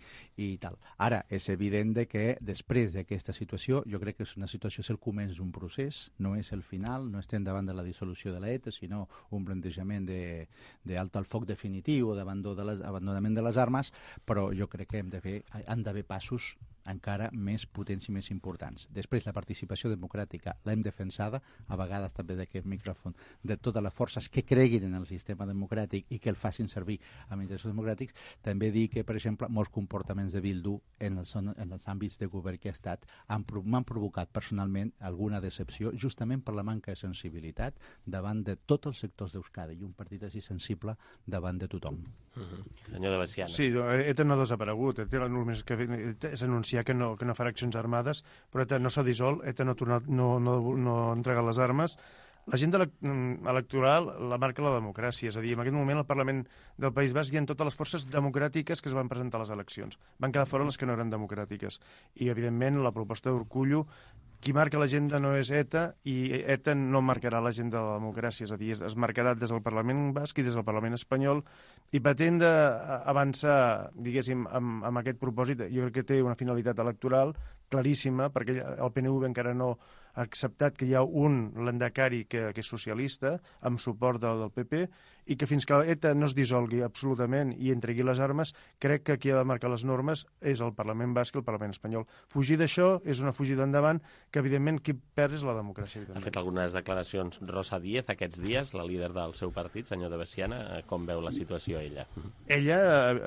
i tal. Ara, és evident de que després d'aquesta situació, jo crec que és una situació, és el començ d'un procés, no és el final, no estem davant de la dissolució de l'ETA, sinó un plantejament d'alta al foc definitiu o d'abandonament de les armes, però jo crec que hem de fer, han d'haver passos encara més potents i més importants. Després, la participació democràtica l'hem defensada, a vegades també d'aquest micròfon, de totes les forces que creguin en el sistema democràtic i que el facin servir amb interessos democràtics. També dir que, per exemple, molts comportaments de Bildu en els, en els àmbits de govern que ha estat m'han provocat personalment alguna decepció, justament per la manca de sensibilitat davant de tots els sectors d'Euskadi i un partit així sensible davant de tothom. Uh-huh. Senyor de Baciana. Sí, ETA no ha desaparegut. ETA només que és anunciar que no, que no farà accions armades, però ETA no s'ha dissolt, ETA no ha tornat, no, no, no ha entregat les armes. L'agenda electoral la marca la democràcia, és a dir, en aquest moment al Parlament del País Basc hi ha totes les forces democràtiques que es van presentar a les eleccions. Van quedar fora les que no eren democràtiques. I, evidentment, la proposta d'Urkullu, qui marca l'agenda no és ETA i ETA no marcarà l'agenda de la democràcia, és a dir, es, es marcarà des del Parlament Basc i des del Parlament Espanyol i pretén d'avançar, diguéssim, amb, amb aquest propòsit. Jo crec que té una finalitat electoral claríssima, perquè el P N V encara no ha acceptat que hi ha un lehendakari que, que és socialista, amb suport del, del P P, i que fins que ETA no es dissolgui absolutament i entregui les armes, crec que qui ha de marcar les normes és el Parlament Basc i el Parlament Espanyol. Fugir d'això és una fugida endavant que, evidentment, qui perd és la democràcia. Evidentment. Ha fet algunes declaracions Rosa Díez aquests dies, la líder del seu partit, senyor de Baciana. Com veu la situació ella? Ella,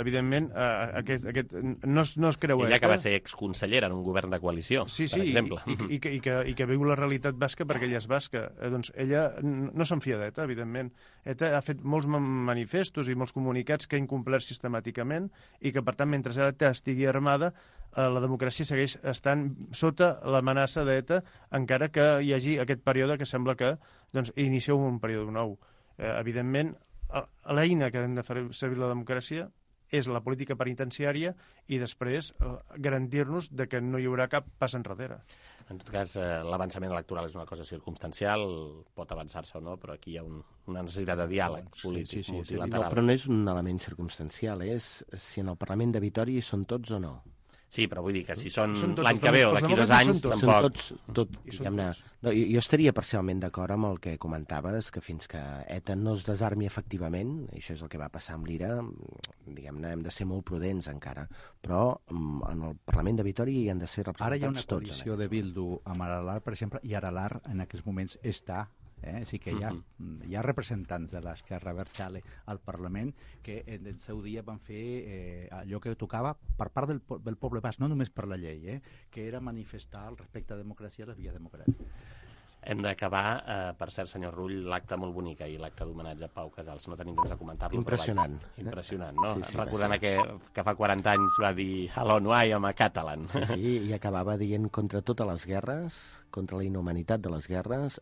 evidentment, aquest, aquest, no, es, no es creu ella ETA. que va ser exconsellera en un govern de coalició, sí, sí, per exemple. I, i, i, que, i, que, i que viu la realitat basca perquè ella és basca. Eh, doncs ella no s'enfia d'ETA, evidentment. ETA ha fet molts manifestos i molts comunicats que ha incomplert sistemàticament i que, per tant, mentre ETA estigui armada, eh, la democràcia segueix estant sota l'amenaça d'ETA, encara que hi hagi aquest període que sembla que doncs, inicia un període nou. Eh, evidentment, l'eina que hem de fer servir la democràcia és la política penitenciària i després eh, garantir-nos de que no hi haurà cap pas enrere. En tot cas, eh, l'avançament electoral és una cosa circumstancial, pot avançar-se o no, però aquí hi ha un, una necessitat de diàleg polític sí, sí, sí, multilateral. no, però no és un element circumstancial, és si en el Parlament de Vitòria hi són tots o no. Sí, però vull dir que si són, Són tots, l'any els que ve o demòcrates d'aquí dos són anys, tots. tampoc... Són tots, tot, I són diguem-ne... tots. No, jo, jo estaria parcialment d'acord amb el que comentaves, que fins que ETA no es desarmi efectivament, i això és el que va passar amb l'Ira, diguem-ne, hem de ser molt prudents encara, però mm, en el Parlament de Vitòria hi han de ser representats tots. Ara hi ha una coalició de Bildu amb Aralar, per exemple, i Aralar en aquests moments està... Eh? Sí que hi ha, uh-huh. hi ha representants de l'Esquerra Abertzale al Parlament que en el seu dia van fer eh, allò que tocava per part del, del poble basc, no només per la llei, eh? que era manifestar el respecte a la democràcia i a les vies democràtiques. Hem d'acabar, eh, per cert, senyor Rull, l'acte molt bonic i l'acte d'homenatge a Pau Casals. No tenim temps de comentar-lo. Impressionant. Però, vaja, impressionant, no? Sí, sí, recordant que, que fa quaranta anys va dir a l'ONU, I am a Catalan. Sí, sí, i acabava dient contra totes les guerres, contra la inhumanitat de les guerres,